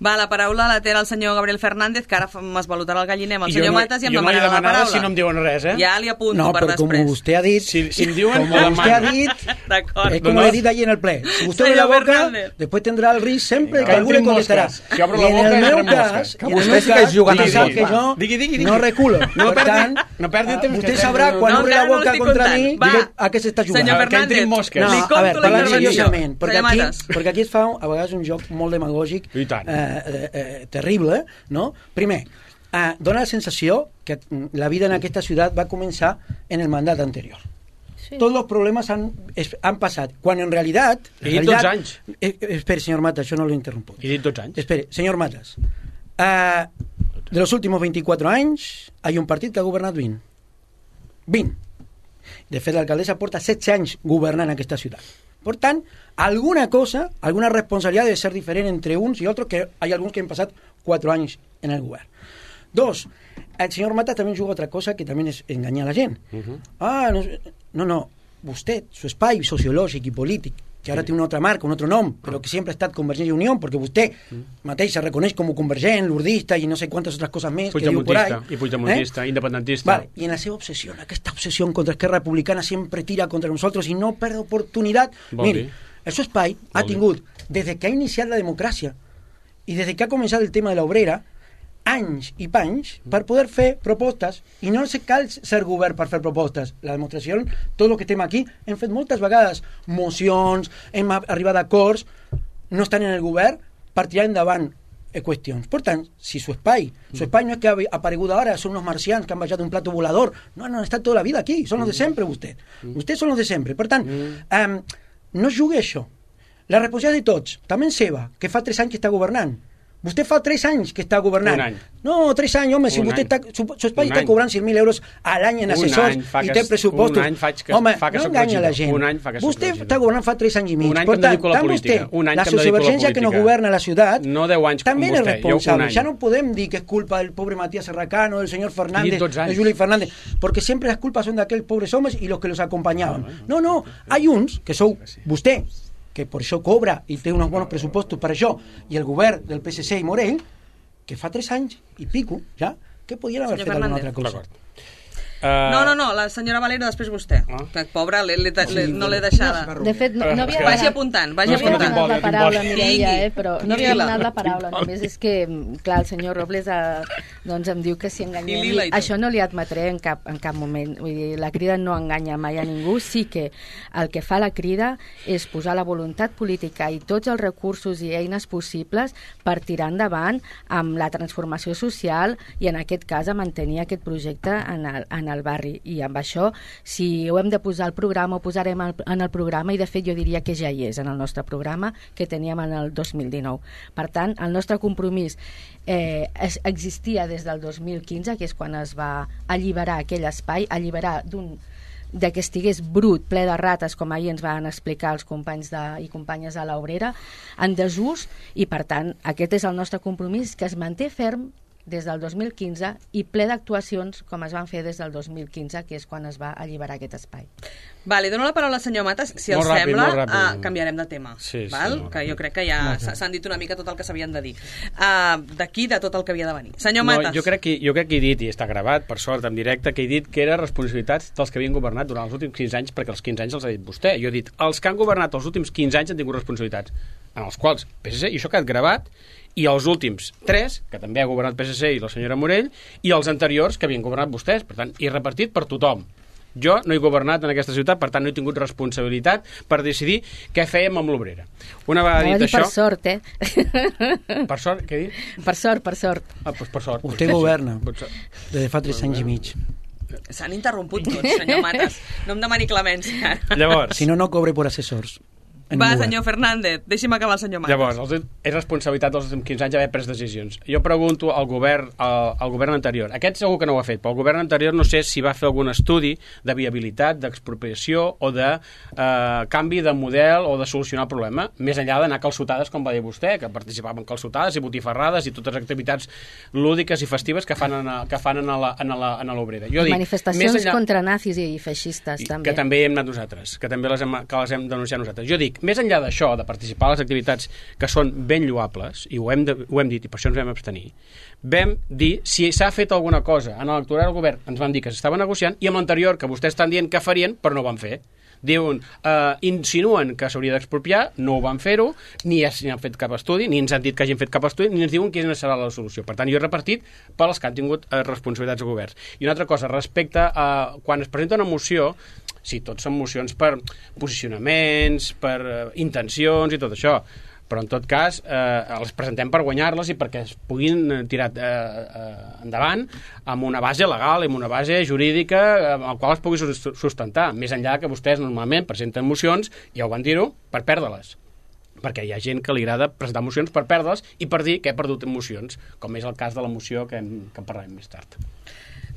Va, la paraula la té el senyor Gabriel Fernández, que ara m'esvalotarà el galliner amb el senyor no, Matas i em jo no demanarà la paraula. Si no em diuen res, eh? Ja li apunto no, per però després. com vostè ha dit... Si, si em diuen, como usted ha dit, es como le he dit allí en el ple. Si usted abre la boca, Fernández. después tendrá el risc sempre que Que algú le entrin contestarà. mosques. Si obro I la en boca, el meu entren cas, mosques. i en el Vostè meu sí que és cas, jugant vostè al sap joc, que va. jo Digui, digui, digui. no reculo. No Per perdi- tant, no perdi el temps, vostè que sabrà estem- quan No, obri encara la no boca l'estic contra comptant. mi, Va. diré a què s'està jugant. Senyor Que Fernández, entrin mosques. No, li a compto veure, la parlant intervenció. seriosament, perquè Senyor aquí, Matas. perquè aquí es fa a vegades un joc molt demagògic, I tant. eh, eh, eh, terrible, no? Primer, eh, dona la sensació que mm, la vida en aquesta ciutat va començar en el mandat anterior. Sí. Tots els problemes han, es, han passat, quan en realitat... He en dit realitat dotze anys. Eh, eh, espere, señor Matas, yo no lo interrumpo. He dit dotze anys. Espere, señor Matas, eh, de los últimos veinticuatro anys hay un partit que ha governat vint. vint. De fet, l'alcaldessa porta setze anys governant aquesta ciutat. Per tant, alguna cosa, alguna responsabilitat debe ser diferent entre uns i altres, que hay alguns que han passat quatre anys en el govern. Dos, el señor Matas también juga otra cosa que también es engañar a la gent. Uh -huh. Ah, no, no, no, vostè, su espai sociològic i polític, que ara té una altra marca, un altre nom, però que sempre ha estat Convergència i Unió, perquè vostè mateix se reconeix com a convergent, lurdista i no sé quantes altres coses més que diu por ahí. Puigdemontista, i Puigdemontista, eh? independentista. Vale, i en la seva obsessió, aquesta obsessió contra Esquerra Republicana sempre tira contra nosaltres i no perd oportunitat. Vol Miri, dir? el seu espai ha Vol dir? tingut, des que ha iniciat la democràcia i des que ha començat el tema de l'obrera, anys i panys per poder fer propostes, i no se cal ser govern per fer propostes. La demostració, tot el que estem aquí, hem fet moltes vegades mocions, hem arribat a acords, no estan en el govern per tirar endavant eh, qüestions. Per tant, si su espai, su espai no és que ha aparegut ara, són uns marcians que han baixat un plato volador, no, no, han estat tota la vida aquí, són los de sempre vostè. Vostès són los de sempre. Per tant, um, no jugui això. La responsabilitat de tots, també seva, que fa tres anys que està governant. Vostè fa tres anys que està governant. Un any. No, tres anys, home, si Un vostè any. està, su, su espai Un està any. cobrant sis mil euros a l'any en Un assessors any fa i que té es- pressupostos. un any faig que- home, fa que no soc enganya la regidor. gent. Un any fa que soc Vostè regidor. està governant fa tres anys i mig. Un any Per que em dedico a la tant, política. vostè, Un any la que em dedico a la sociovergència que no política. governa la ciutat, No deu anys com també és vostè, jo un responsable. any. Ja no podem dir que és culpa del pobre Matías Serracano, del senyor Fernández, dotze anys. de Juli Fernández, porque siempre las culpas son de aquellos pobres hombres y los que los acompañaban. No, no, hay uns, que sou vostè, que per això cobra i té uns bons pressupostos per això, i el govern del P S C i Morell, que fa tres anys i pico, ja, que podien haver Senyor fet alguna Fernández. altra cosa. D'acord. Uh, No, no, no, la senyora Valero, després vostè. Ah. Que pobra, l'he- l'he- l'he- no l'he deixada. De fet, no, no havia Vagi demanat, apuntant, no vagi havia escolta, apuntant. demanat la Quin vol, paraula, quin vol. Mireia, Tingui. eh, però no havia Tingui-la. demanat la paraula, només és que, clar, el senyor Robles eh, doncs em diu que si I enganyem... lila i tot. Això no li admetré en cap, en cap moment. Vull dir, la crida no enganya mai a ningú, sí que el que fa la crida és posar la voluntat política i tots els recursos i eines possibles per tirar endavant amb la transformació social i en aquest cas a mantenir aquest projecte en el, en el barri. I amb això, si ho hem de posar al programa, ho posarem al- en el programa i de fet jo diria que ja hi és en el nostre programa que teníem en el dos mil dinou. Per tant, el nostre compromís eh, es, existia des del dos mil quinze, que és quan es va alliberar aquell espai, alliberar d'un de que estigués brut, ple de rates, com ahir ens van explicar els companys de, i companyes de l'Obrera, en desús, i per tant, aquest és el nostre compromís, que es manté ferm des del dos mil quinze i ple d'actuacions com es van fer des del dos mil quinze, que és quan es va alliberar aquest espai. Vale, dono la paraula al senyor Matas. Si Molt els ràpid, sembla, molt ràpid. uh, canviarem de tema. Sí, sí, val? molt Que ràpid. jo crec que ja s'ha- s'han dit una mica tot el que s'havien de dir. Uh, D'aquí, de tot el que havia de venir. Senyor No, Matas. jo, crec que, jo crec que he dit, i està gravat, per sort, en directe, que he dit que era responsabilitat dels que havien governat durant els últims quinze anys, perquè els quinze anys els ha dit vostè. Jo he dit, els que han governat els últims quinze anys han tingut responsabilitats, en els quals P S C, i això ha quedat gravat, i els últims tres, que també ha governat P S C i la senyora Morell, i els anteriors que havien governat vostès, per tant, i repartit per tothom. Jo no he governat en aquesta ciutat, per tant no he tingut responsabilitat per decidir què fèiem amb l'Obrera. Una vegada Anava a dit dir per això... sort, eh? Per sort, què he dit? Per sort, per sort. Ah, doncs per sort. Vostè Doncs, governa per sort. des de fa tres anys i mig. S'han interromput tots, senyor Matas. No em demani clemència. Llavors, Si no, no cobre per assessors. en Va, un govern. senyor Fernández, deixi'm acabar el senyor Matas. Llavors, els, és responsabilitat dels últims quinze anys haver pres decisions. Jo pregunto al govern, al, al govern anterior. Aquest segur que no ho ha fet, però el govern anterior no sé si va fer algun estudi de viabilitat, d'expropiació o de eh, canvi de model o de solucionar el problema, més enllà d'anar a calçotades, com va dir vostè, que participaven en calçotades i botifarrades i totes les activitats lúdiques i festives que fan en, a, que fan en, a la, en, a la, en a l'Obrera. Jo dic, Manifestacions més enllà, contra nazis i feixistes, i també. que també hem anat nosaltres, que també les hem, que les hem denunciat nosaltres. Jo dic, més enllà d'això, de participar a les activitats que són ben lloables, i ho hem, de, ho hem dit, i per això ens vam abstenir, vam dir si s'ha fet alguna cosa en l'electorat del govern, ens van dir que s'estava negociant, i amb l'anterior, que vostès estan dient que farien, però no ho van fer. Diuen, eh, insinuen que s'hauria d'expropiar, no ho van fer-ho, ni, es, ni han fet cap estudi, ni ens han dit que hagin fet cap estudi, ni ens diuen quina serà la solució. Per tant, jo he repartit per als que han tingut eh, responsabilitats de govern. I una altra cosa, respecte a quan es presenta una moció, sí, tots són mocions per posicionaments, per eh, intencions i tot això, però en tot cas eh, les presentem per guanyar-les i perquè es puguin tirar eh, eh, endavant amb una base legal, amb una base jurídica eh, amb la qual es pugui sustentar, més enllà que vostès normalment presenten mocions, ja ho van dir-ho, per perdre-les, perquè hi ha gent que li agrada presentar mocions per perdre-les i per dir que he perdut mocions, com és el cas de la moció que, hem, que en parlarem més tard.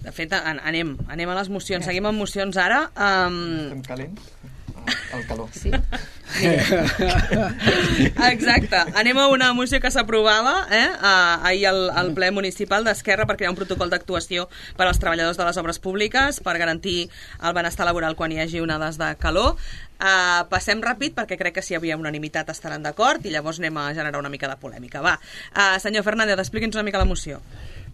De fet, an anem, anem a les mocions, seguim amb mocions ara. Um... Estem calents? El calor. Sí. Exacte. Anem a una moció que s'aprovava eh, ahir al, al ple municipal d'Esquerra per crear un protocol d'actuació per als treballadors de les obres públiques per garantir el benestar laboral quan hi hagi onades de calor. Uh, passem ràpid perquè crec que si hi havia unanimitat estaran d'acord i llavors anem a generar una mica de polèmica. Va, uh, senyor Fernández, expliqui'ns una mica la moció.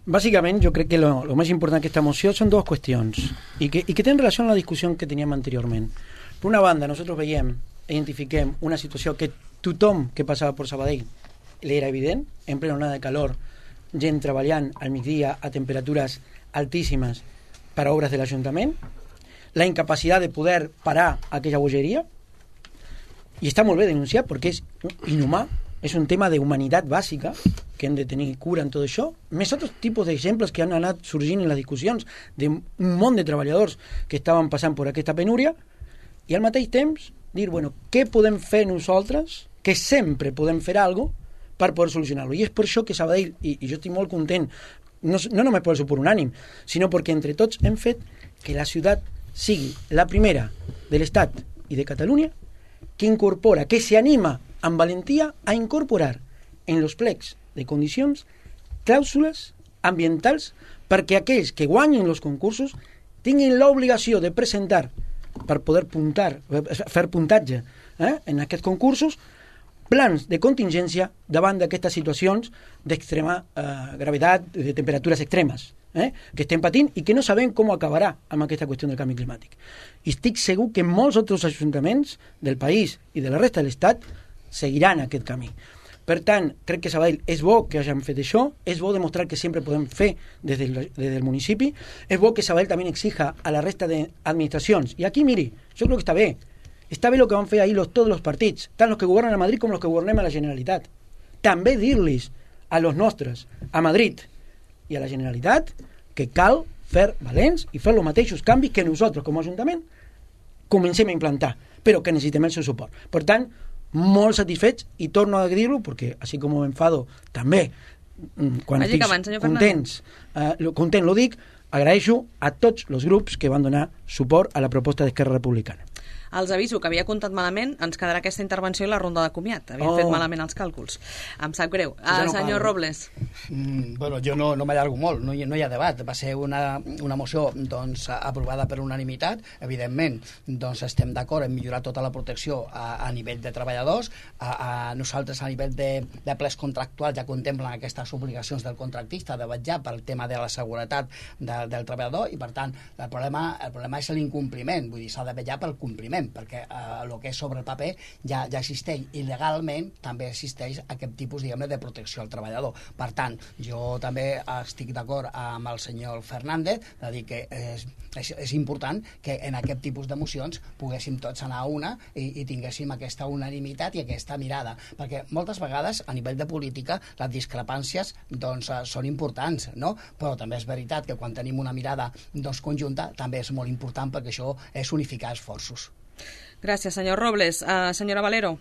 Básicamente yo creo que lo, lo más importante de esta moción son dos cuestiones y que, y que tienen relación a la discusión que teníamos anteriormente. Per una banda, nosaltres veiem, identifiquem una situació que tothom que passava per Sabadell li era evident, en plena onada de calor, gent treballant al migdia a temperatures altíssimes per a obres de l'Ajuntament, la incapacitat de poder parar aquella bogeria, i està molt bé denunciar perquè és inhumà, és un tema de humanitat bàsica que hem de tenir cura en tot això, més altres tipus d'exemples que han anat sorgint en les discussions d'un munt de treballadors que estaven passant per aquesta penúria, i al mateix temps dir, bueno, què podem fer nosaltres, que sempre podem fer alguna cosa per poder solucionar-lo. I és per això que Sabadell, i, i jo estic molt content, no, no només per el suport unànim, sinó perquè entre tots hem fet que la ciutat sigui la primera de l'Estat i de Catalunya que incorpora, que se anima amb valentia a incorporar en los plecs de condicions clàusules ambientals perquè aquells que guanyen els concursos tinguin l'obligació de presentar per poder puntar, fer puntatge eh, en aquests concursos, plans de contingència davant d'aquestes situacions d'extrema eh, gravetat, de temperatures extremes, eh, que estem patint i que no sabem com acabarà amb aquesta qüestió del canvi climàtic. I estic segur que molts altres ajuntaments del país i de la resta de l'Estat seguiran aquest camí. Per tant, crec que Sabadell és bo que hagin fet això, és bo demostrar que sempre podem fer des del, des del municipi, és bo que Sabadell també exija a la resta d'administracions. I aquí, miri, jo crec que està bé. Està bé el que van fer ahir los, tots els partits, tant els que governen a Madrid com els que governem a la Generalitat. També dir-los a los nostres, a Madrid i a la Generalitat, que cal fer valents i fer els mateixos canvis que nosaltres, com a Ajuntament, comencem a implantar, però que necessitem el seu suport. Per tant, molt satisfets i torno a dir-ho perquè així com m'enfado també quan Vagi estic acabant, contents, eh, content lo dic, agraeixo a tots els grups que van donar suport a la proposta d'Esquerra Republicana. Els aviso que havia comptat malament, ens quedarà aquesta intervenció i la ronda de comiat. Havia oh. fet malament els càlculs. Em sap greu. Ah, no senyor parlo. Robles. Mm, bueno, jo no, no m'allargo molt, no hi, no hi ha debat. Va ser una, una moció doncs, aprovada per unanimitat. Evidentment, doncs, estem d'acord en millorar tota la protecció a, a nivell de treballadors. A, a nosaltres, a nivell de, de plers contractuals, ja contemplen aquestes obligacions del contractista de vetllar pel tema de la seguretat de, del treballador i, per tant, el problema, el problema és l'incompliment. Vull dir, s'ha de vetllar pel compliment, perquè eh, el que és sobre el paper ja, ja existeix i legalment també existeix aquest tipus, diguem-ne, de protecció al treballador. Per tant, jo també estic d'acord amb el senyor Fernández de dir que és, és, és important que en aquest tipus de mocions poguéssim tots anar a una i, i tinguéssim aquesta unanimitat i aquesta mirada, perquè moltes vegades a nivell de política les discrepàncies doncs, són importants, no? Però també és veritat que quan tenim una mirada doncs, conjunta també és molt important perquè això és unificar esforços. Gràcies, senyor Robles. Uh, senyora Valero.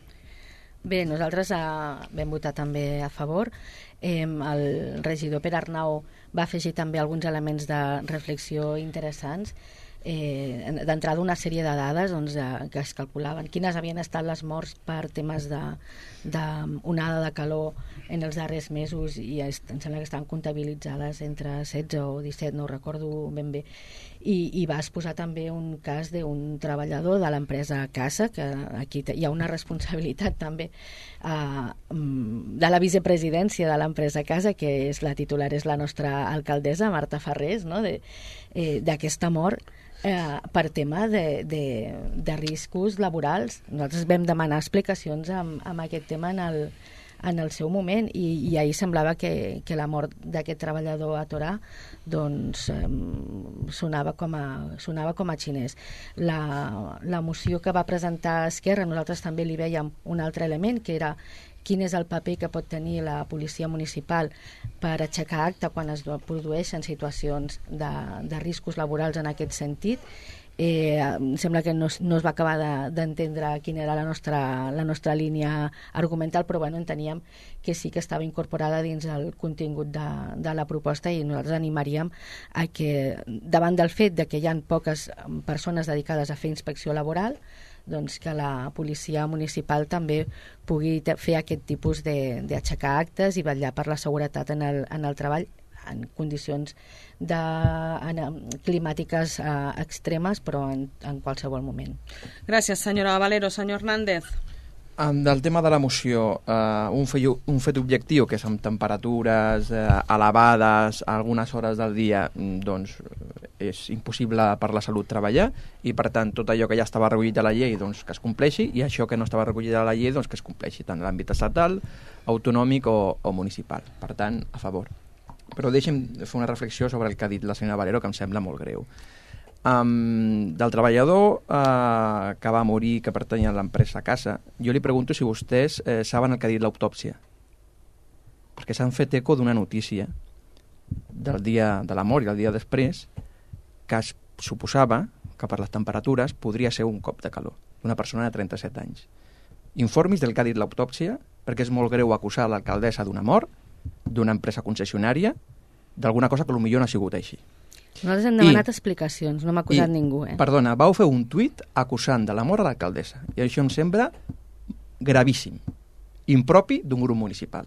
Bé, nosaltres uh, vam votar també a favor. Eh, el regidor Pere Arnau va afegir també alguns elements de reflexió interessants. eh, d'entrada una sèrie de dades doncs, eh, que es calculaven quines havien estat les morts per temes de, de onada de calor en els darrers mesos, i es, em sembla que estan comptabilitzades entre setze o disset, no ho recordo ben bé, i, i vas posar també un cas d'un treballador de l'empresa Casa, que aquí hi ha una responsabilitat també eh, de la vicepresidència de l'empresa Casa, que és la titular, és la nostra alcaldessa Marta Farrés, no? de, eh, d'aquesta mort eh, per tema de, de, de riscos laborals. Nosaltres vam demanar explicacions amb, amb aquest tema en el, en el seu moment, i, i ahir semblava que, que la mort d'aquest treballador a Torà doncs, eh, sonava, com a, sonava com a xinès. La, la moció que va presentar Esquerra, nosaltres també li veiem un altre element, que era quin és el paper que pot tenir la policia municipal per aixecar acta quan es produeixen situacions de, de riscos laborals en aquest sentit. Eh, em sembla que no, no es va acabar d'entendre de, quina era la nostra, la nostra línia argumental, però bueno, enteníem que sí que estava incorporada dins el contingut de, de la proposta, i nosaltres animaríem a que, davant del fet de que hi ha poques persones dedicades a fer inspecció laboral, doncs que la policia municipal també pugui fer aquest tipus d'aixecar actes i vetllar per la seguretat en el, en el treball en condicions de, en, climàtiques eh, extremes, però en, en qualsevol moment. Gràcies, senyora Valero. Senyor Hernández. Del tema de la moció, eh, un, fe, un fet objectiu, que és amb temperatures eh, elevades a algunes hores del dia, doncs és impossible per la salut treballar, i per tant tot allò que ja estava recollit a la llei doncs que es compleixi, i això que no estava recollit a la llei doncs que es compleixi tant en l'àmbit estatal, autonòmic o, o municipal. Per tant, a favor. Però deixem fer una reflexió sobre el que ha dit la senyora Valero, que em sembla molt greu. Um, del treballador uh, que va morir, que pertany a l'empresa Casa, jo li pregunto si vostès eh, saben el que ha dit l'autòpsia, perquè s'han fet eco d'una notícia del dia de la mort i el dia després, que es suposava que per les temperatures podria ser un cop de calor d'una persona de trenta-set anys. Informis del que ha dit l'autòpsia, perquè és molt greu acusar l'alcaldessa d'una mort, d'una empresa concessionària, d'alguna cosa que potser no ha sigut així. Nosaltres hem demanat I, explicacions, no m'ha acusat i, ningú. Eh? Perdona, vau fer un tuit acusant de la mort a l'alcaldessa, i això em sembla gravíssim, impropi d'un grup municipal.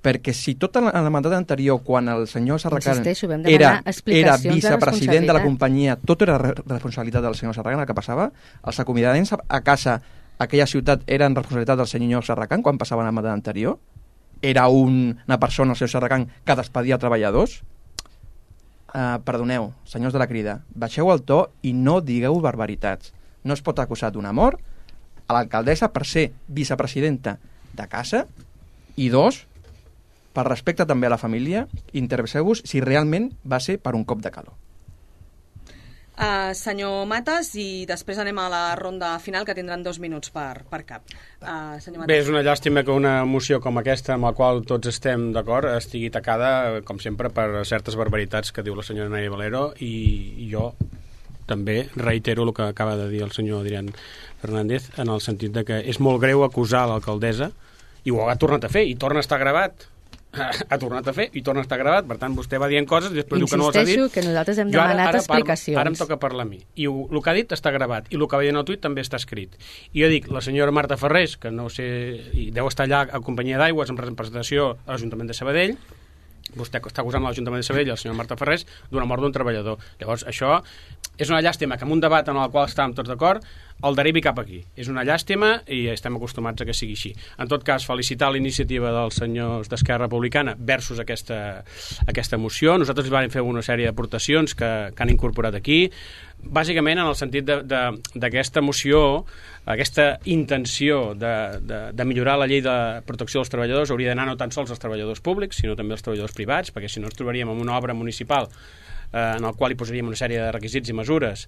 Perquè si tot en el mandat anterior, quan el senyor Sarracan era, era vicepresident de la companyia, tot era responsabilitat del senyor Sarracan, el que passava, els acomiadaments a casa, a aquella ciutat, eren responsabilitat del senyor Sarracan quan passaven el mandat anterior? Era un, una persona, el senyor Sarracan, que despedia treballadors? Uh, perdoneu, senyors de la Crida, baixeu el to i no digueu barbaritats. No es pot acusar d'una mort a l'alcaldessa per ser vicepresidenta de Casa, i dos, per respecte també a la família, interesseu-vos si realment va ser per un cop de calor. Uh, senyor Matas, i després anem a la ronda final, que tindran dos minuts per, per cap. Uh, senyor Matas. Bé, és una llàstima que una moció com aquesta, amb la qual tots estem d'acord, estigui tacada, com sempre, per certes barbaritats que diu la senyora Nadia Valero, i, i jo també reitero el que acaba de dir el senyor Adrián Fernández, en el sentit de que és molt greu acusar l'alcaldessa, i ho ha tornat a fer, i torna a estar gravat. Ha tornat a fer i torna a estar gravat, per tant vostè va dient coses i després diu que no les ha dit. Insisteixo que nosaltres hem demanat ara, ara explicacions. Parlo, ara em toca parlar a mi, i ho, el que ha dit està gravat, i el que va dir en el tuit també està escrit. I jo dic, la senyora Marta Farrés, que no sé, i deu estar allà a companyia d'Aigües en representació a l'Ajuntament de Sabadell, vostè està acusant l'Ajuntament de Sabadell, la senyora Marta Farrés, d'una mort d'un treballador. Llavors, això és una llàstima que en un debat en el qual estàvem tots d'acord el derivi cap aquí. És una llàstima i estem acostumats a que sigui així. En tot cas, felicitar l'iniciativa dels senyors d'Esquerra Republicana versus aquesta, aquesta moció. Nosaltres vam fer una sèrie d'aportacions que, que han incorporat aquí, bàsicament en el sentit d'aquesta moció, aquesta intenció de, de, de millorar la llei de protecció dels treballadors hauria d'anar no tan sols als treballadors públics, sinó també als treballadors privats, perquè si no ens trobaríem en una obra municipal eh, en el qual hi posaríem una sèrie de requisits i mesures,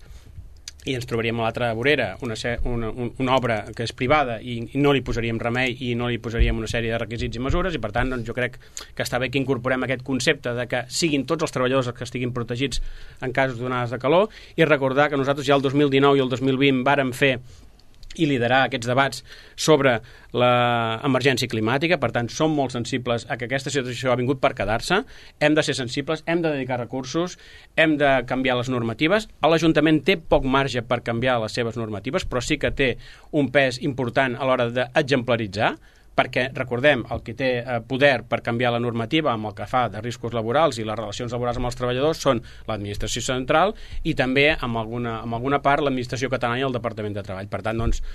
i ens trobaríem a l'altra vorera una, una, una obra que és privada i, i no li posaríem remei i no li posaríem una sèrie de requisits i mesures, i per tant doncs, jo crec que està bé que incorporem aquest concepte de que siguin tots els treballadors els que estiguin protegits en casos d'onades de calor, i recordar que nosaltres ja el dos mil dinou i el dos mil vint vàrem fer i liderar aquests debats sobre l'emergència climàtica. Per tant, som molt sensibles a que aquesta situació ha vingut per quedar-se. Hem de ser sensibles, hem de dedicar recursos, hem de canviar les normatives. L'Ajuntament té poc marge per canviar les seves normatives, però sí que té un pes important a l'hora d'exemplaritzar, perquè, recordem, el que té poder per canviar la normativa amb el que fa de riscos laborals i les relacions laborals amb els treballadors són l'administració central i també, amb alguna, amb alguna part, l'administració catalana i el Departament de Treball. Per tant, doncs,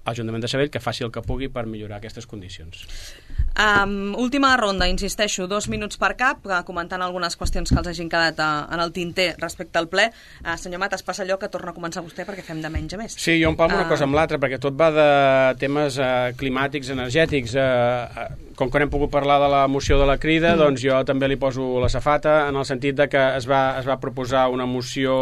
l'Ajuntament de Sabadell que faci el que pugui per millorar aquestes condicions. Um, última ronda, insisteixo, dos minuts per cap, comentant algunes qüestions que els hagin quedat uh, en el tinter respecte al ple. Uh, senyor Matas, passa allò que torna a començar vostè perquè fem de menys a més. Sí, jo em palmo uh... una cosa amb l'altra, perquè tot va de temes uh, climàtics, energètics. Uh, uh, com que no hem pogut parlar de la moció de la Crida, mm. doncs jo també li poso la safata, en el sentit de que es va, es va proposar una moció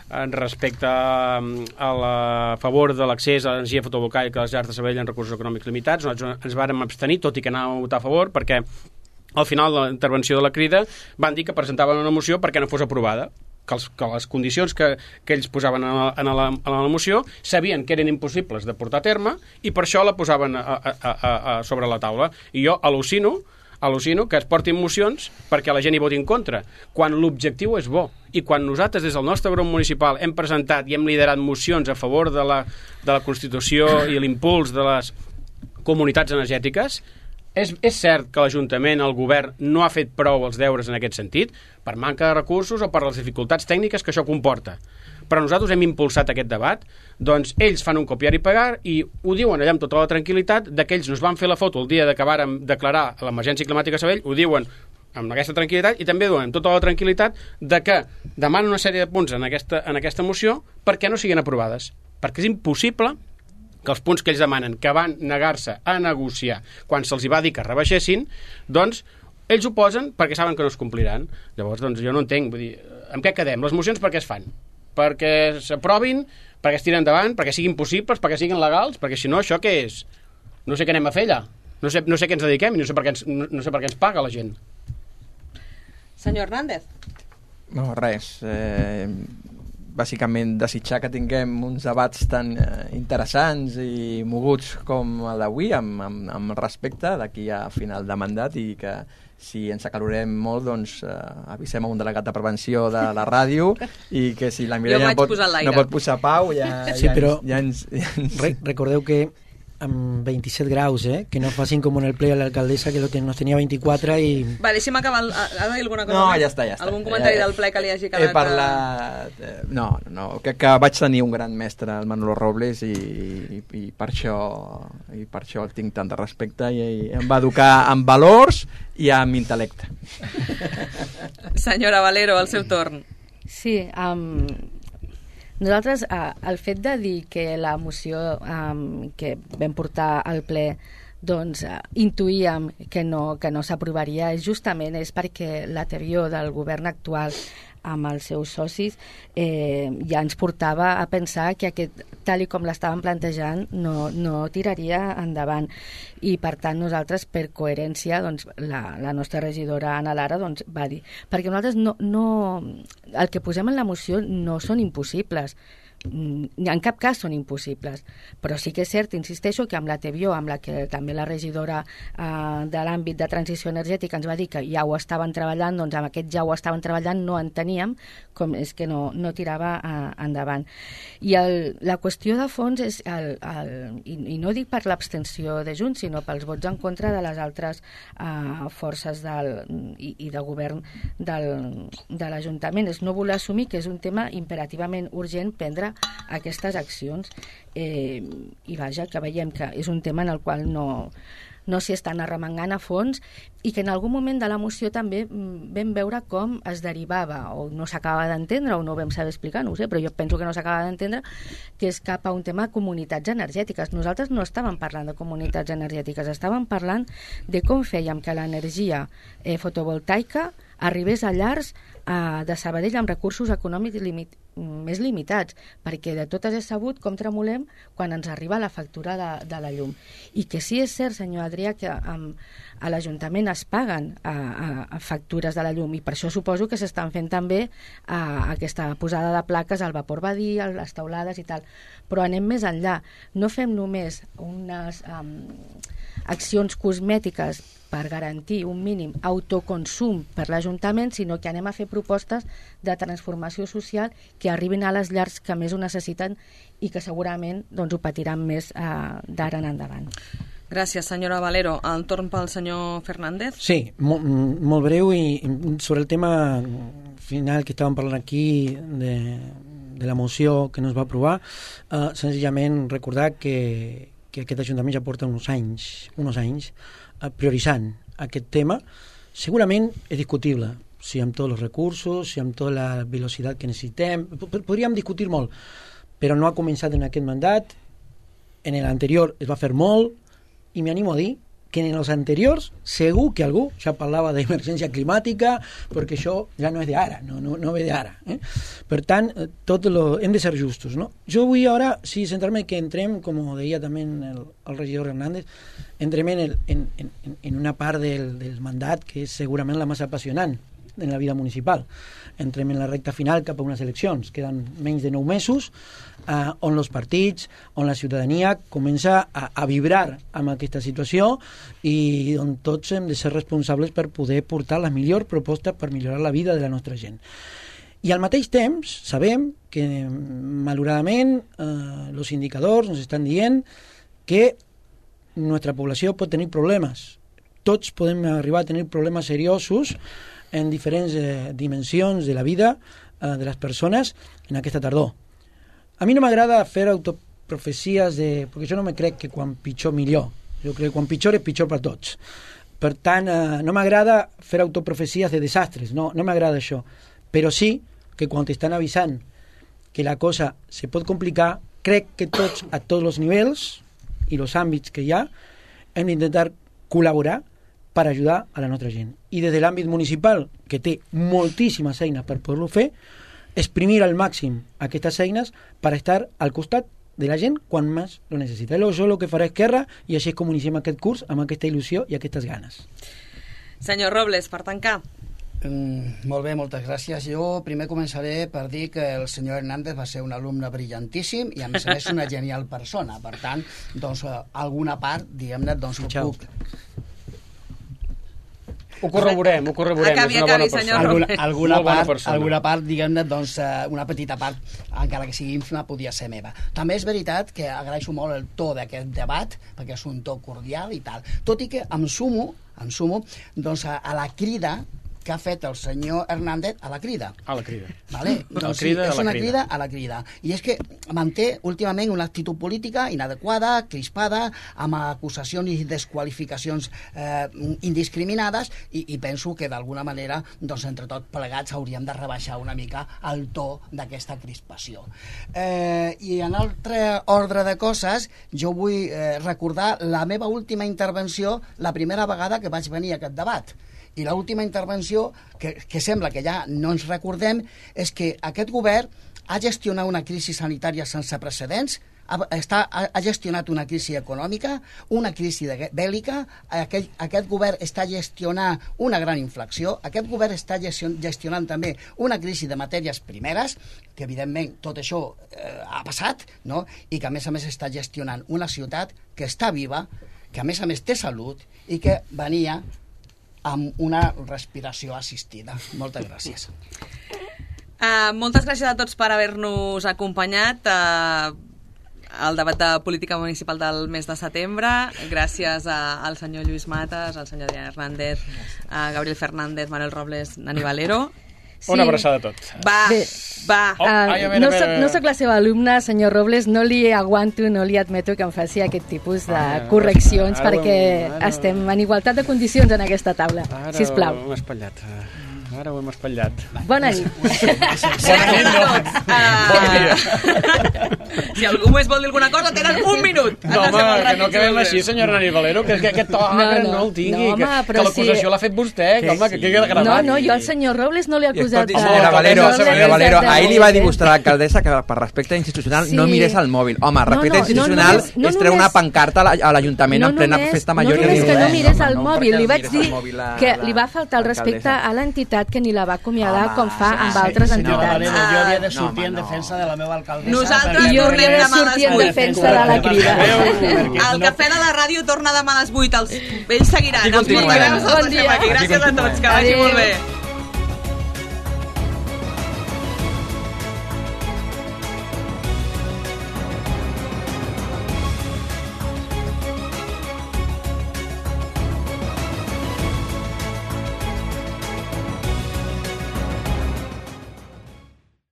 respecte a, a, la, a favor de l'accés a l'energia fotovoltaica a les llars de Sabadell en recursos econòmics limitats. Nosaltres ens vàrem abstenir, tot i que anàvem a votar a favor, perquè al final de la intervenció de la Crida van dir que presentaven una moció perquè no fos aprovada, que, els, que les condicions que, que ells posaven en la, en, la, en la moció sabien que eren impossibles de portar a terme i per això la posaven a, a, a, a sobre la taula. I jo al·lucino al·lucino que es portin mocions perquè la gent hi voti en contra, quan l'objectiu és bo. I quan nosaltres, des del nostre grup municipal, hem presentat i hem liderat mocions a favor de la, de la Constitució i l'impuls de les comunitats energètiques, és, és cert que l'Ajuntament, el govern, no ha fet prou els deures en aquest sentit, per manca de recursos o per les dificultats tècniques que això comporta. Però nosaltres hem impulsat aquest debat, doncs ells fan un copiar i pagar i ho diuen allà amb tota la tranquil·litat de que ells nos van fer la foto el dia de que vàrem declarar l'emergència climàtica a Sabadell, ho diuen amb aquesta tranquil·litat i també diuen amb tota la tranquil·litat de que demanen una sèrie de punts en aquesta, en aquesta moció perquè no siguin aprovades. Perquè és impossible que els punts que ells demanen, que van negar-se a negociar quan se'ls va dir que rebaixessin, doncs ells ho posen perquè saben que no es compliran. Llavors, doncs jo no entenc, vull dir, amb què quedem? Les mocions per què es fan? Perquè s'aprovin, perquè es tiren endavant, perquè siguin possibles, perquè siguin legals, perquè si no, això què és? No sé què anem a fer allà. No sé, no sé què ens dediquem i no sé per què ens, no, no sé per què ens paga la gent. Senyor Hernández. No, res. Eh, bàsicament desitjar que tinguem uns debats tan eh, interessants i moguts com el d'avui, amb, amb, amb respecte d'aquí a final de mandat, i que si ens acalorem molt, doncs eh, avisem a un delegat de prevenció de la ràdio i que si la Mireia no pot, no pot posar pau ja, sí, ja, però ja ens... Ja ens... Re recordeu que amb vint-i-set graus, eh? Que no facin com en el ple a l'alcaldessa, que lo ten, nos tenia vint-i-quatre i... Va, deixi'm acabar. El, ha de dir alguna cosa? No, més? ja està, ja està. Algun comentari ja, del ple que li hagi quedat... He parlat... Eh, no, no, que, que vaig tenir un gran mestre, el Manolo Robles, i, i, i, per això, i per això el tinc tant de respecte, i, i em va educar amb valors i amb intel·lecte. Senyora Valero, el seu torn. Sí, um, nosaltres uh, el fet de dir que la moció um, que vam portar al ple doncs uh, intuïem que no, que no s'aprovaria justament és perquè la teoria del govern actual amb els seus socis eh, ja ens portava a pensar que aquest, tal i com l'estàvem plantejant, no, no tiraria endavant. I per tant nosaltres, per coherència, doncs, la, la nostra regidora Anna Lara doncs, va dir, perquè nosaltres no, no, el que posem en la moció no són impossibles, en cap cas són impossibles, però sí que és cert, insisteixo, que amb la T V O, amb la que també la regidora eh, de l'àmbit de transició energètica ens va dir que ja ho estaven treballant, doncs amb aquest ja ho estaven treballant no enteníem com és que no, no tirava eh, endavant. I el, la qüestió de fons és, el, el, i, i no dic per l'abstenció de Junts, sinó pels vots en contra de les altres eh, forces del, i, i de govern del, de l'Ajuntament, és no voler assumir que és un tema imperativament urgent prendre aquestes accions, eh, i vaja, que veiem que és un tema en el qual no, no s'hi estan arremangant a fons i que en algun moment de la moció també vam veure com es derivava, o no s'acaba d'entendre o no ho vam saber explicar, no ho sé, però jo penso que no s'acaba d'entendre, que és cap a un tema de comunitats energètiques. Nosaltres no estàvem parlant de comunitats energètiques, estàvem parlant de com fèiem que l'energia eh, fotovoltaica arribés a llars eh, de Sabadell amb recursos econòmics limit més limitats, perquè de totes és sabut com tremolem quan ens arriba la factura de, de la llum. I que sí és cert, senyor Adrià, que amb, a l'Ajuntament es paguen a, a, a factures de la llum, i per això suposo que s'estan fent també a, aquesta posada de plaques al vapor badí, a les teulades i tal. Però anem més enllà. No fem només unes um, accions cosmètiques per garantir un mínim autoconsum per l'Ajuntament, sinó que anem a fer propostes de transformació social que arribin a les llars que més ho necessiten i que segurament doncs, ho patiran més eh, d'ara en endavant. Gràcies, senyora Valero. El torn pel senyor Fernández. Sí, molt, molt breu, i sobre el tema final que estàvem parlant aquí de, de la moció que no es va aprovar, eh, senzillament recordar que, que aquest Ajuntament ja porta uns anys, uns anys prioritzant aquest tema. Segurament és discutible si amb tots els recursos, si amb tota la velocitat que necessitem, podríem discutir molt, però no ha començat en aquest mandat. En l'anterior es va fer molt, i m'animo a dir que en els anteriors segur que algú ja parlava d'emergència climàtica, perquè això ja no és d'ara, no, no, no ve d'ara. Eh? Per tant, tot lo, hem de ser justos. No? Jo vull ara, sí, centrar-me que entrem, com deia també el, el regidor Hernández, entrem en, el, en, en, en una part del, del mandat que és segurament la més apassionant en la vida municipal. Entrem en la recta final cap a unes eleccions. Queden menys de nou mesos, eh, on els partits, on la ciutadania comença a, a vibrar amb aquesta situació i on tots hem de ser responsables per poder portar les millors propostes per millorar la vida de la nostra gent. I al mateix temps sabem que, malauradament, eh, els indicadors ens estan dient que nostra població pot tenir problemes. Tots podem arribar a tenir problemes seriosos en diferents eh, dimensions de la vida eh, de les persones en aquesta tardor. A mi no m'agrada fer autoprofecies de... perquè jo no me crec que quan pitjor millor. Jo crec que quan pitjor és pitjor per tots. Per tant, eh, no m'agrada fer autoprofecies de desastres, no, no m'agrada això. Però sí que quan t'estan avisant que la cosa se pot complicar, crec que tots, a tots els nivells i els àmbits que hi ha, hem d'intentar col·laborar per ajudar a la nostra gent. I des de l'àmbit municipal, que té moltíssimes eines per poder-ho fer, exprimir al màxim aquestes eines per estar al costat de la gent quan més lo necessita. És el que farà Esquerra, i així és com iniciem aquest curs amb aquesta il·lusió i aquestes ganes. Senyor Robles, per tancar. Mm, molt bé, moltes gràcies. Jo primer començaré per dir que el senyor Hernández va ser un alumne brillantíssim i a més a més una genial persona. Per tant, doncs, alguna part, diguem-ne, doncs ho puc... Ho corroborem, ho corroborem. Acabi, és una acabi, bona senyor persona. Alguna, alguna, Molt bona part, persona. alguna part, diguem-ne, doncs, una petita part, encara que sigui ínfima, podia ser meva. També és veritat que agraeixo molt el to d'aquest debat, perquè és un to cordial i tal. Tot i que em sumo, em sumo doncs, a, a la crida que ha fet el senyor Hernández a la crida. A la crida. Vale? Doncs crida, sí, és a la una crida. crida a la crida. I és que manté últimament una actitud política inadequada, crispada, amb acusacions i desqualificacions eh, indiscriminades, i, i penso que d'alguna manera, doncs, entre tots plegats hauríem de rebaixar una mica el to d'aquesta crispació. Eh, I en altre ordre de coses, jo vull eh, recordar la meva última intervenció, la primera vegada que vaig venir a aquest debat. I l'última intervenció, que, que sembla que ja no ens recordem, és que aquest govern ha gestionat una crisi sanitària sense precedents, ha, està, ha gestionat una crisi econòmica, una crisi de, bèl·lica, aquest, aquest govern està gestionant una gran inflació, aquest govern està gestionant també una crisi de matèries primeres, que evidentment tot això eh, ha passat, no? I que a més a més està gestionant una ciutat que està viva, que a més a més té salut i que venia amb una respiració assistida. Moltes gràcies. Uh, moltes gràcies a tots per haver-nos acompanyat uh, al debat de política municipal del mes de setembre. Gràcies a, al senyor Lluís Matas, al senyor Adrià Hernández, a Gabriel Fernández, Manuel Robles, Nani Valero. Sí. Una abraçada a tot. Va, Bé, va. Uh, ai, veure, no, soc, no soc la seva alumna, senyor Robles, no li aguanto, no li admeto que em faci aquest tipus de ah, correccions, ara, perquè ara, ara, estem en igualtat de condicions en aquesta taula. Ara, sisplau. M'ha espatllat. ara ho hem espatllat. Bona nit. Gràcies a tots. Uh, si algú més vol dir alguna cosa, tenen un minut. No, home, que no quedem així, senyora Nani Valero, que, que aquest to no, no, no el tingui, no, home, que, que l'acusació si... l'ha fet vostè, que, home, que queda gravat. No, no, jo al senyor Robles no l'he acusat. Senyora Valero, senyora Valero, ahir li va dimostrar a l'alcaldessa que per respecte institucional no mirés al mòbil. Home, respecte institucional és treure una pancarta a l'Ajuntament en plena festa major. No només que no mirés al mòbil, li vaig dir que li va faltar el respecte a l'entitat que ni la va acomiadar com fa amb altres entitats. Jo havia de sortir en defensa de la meva alcaldessa. Nosaltres jo havia de sortir en defensa de la Crida. El cafè de la ràdio torna demà a les vuit. Ells seguiran. Els portaveus els deixem aquí. Gràcies a tots, que vagi molt bé.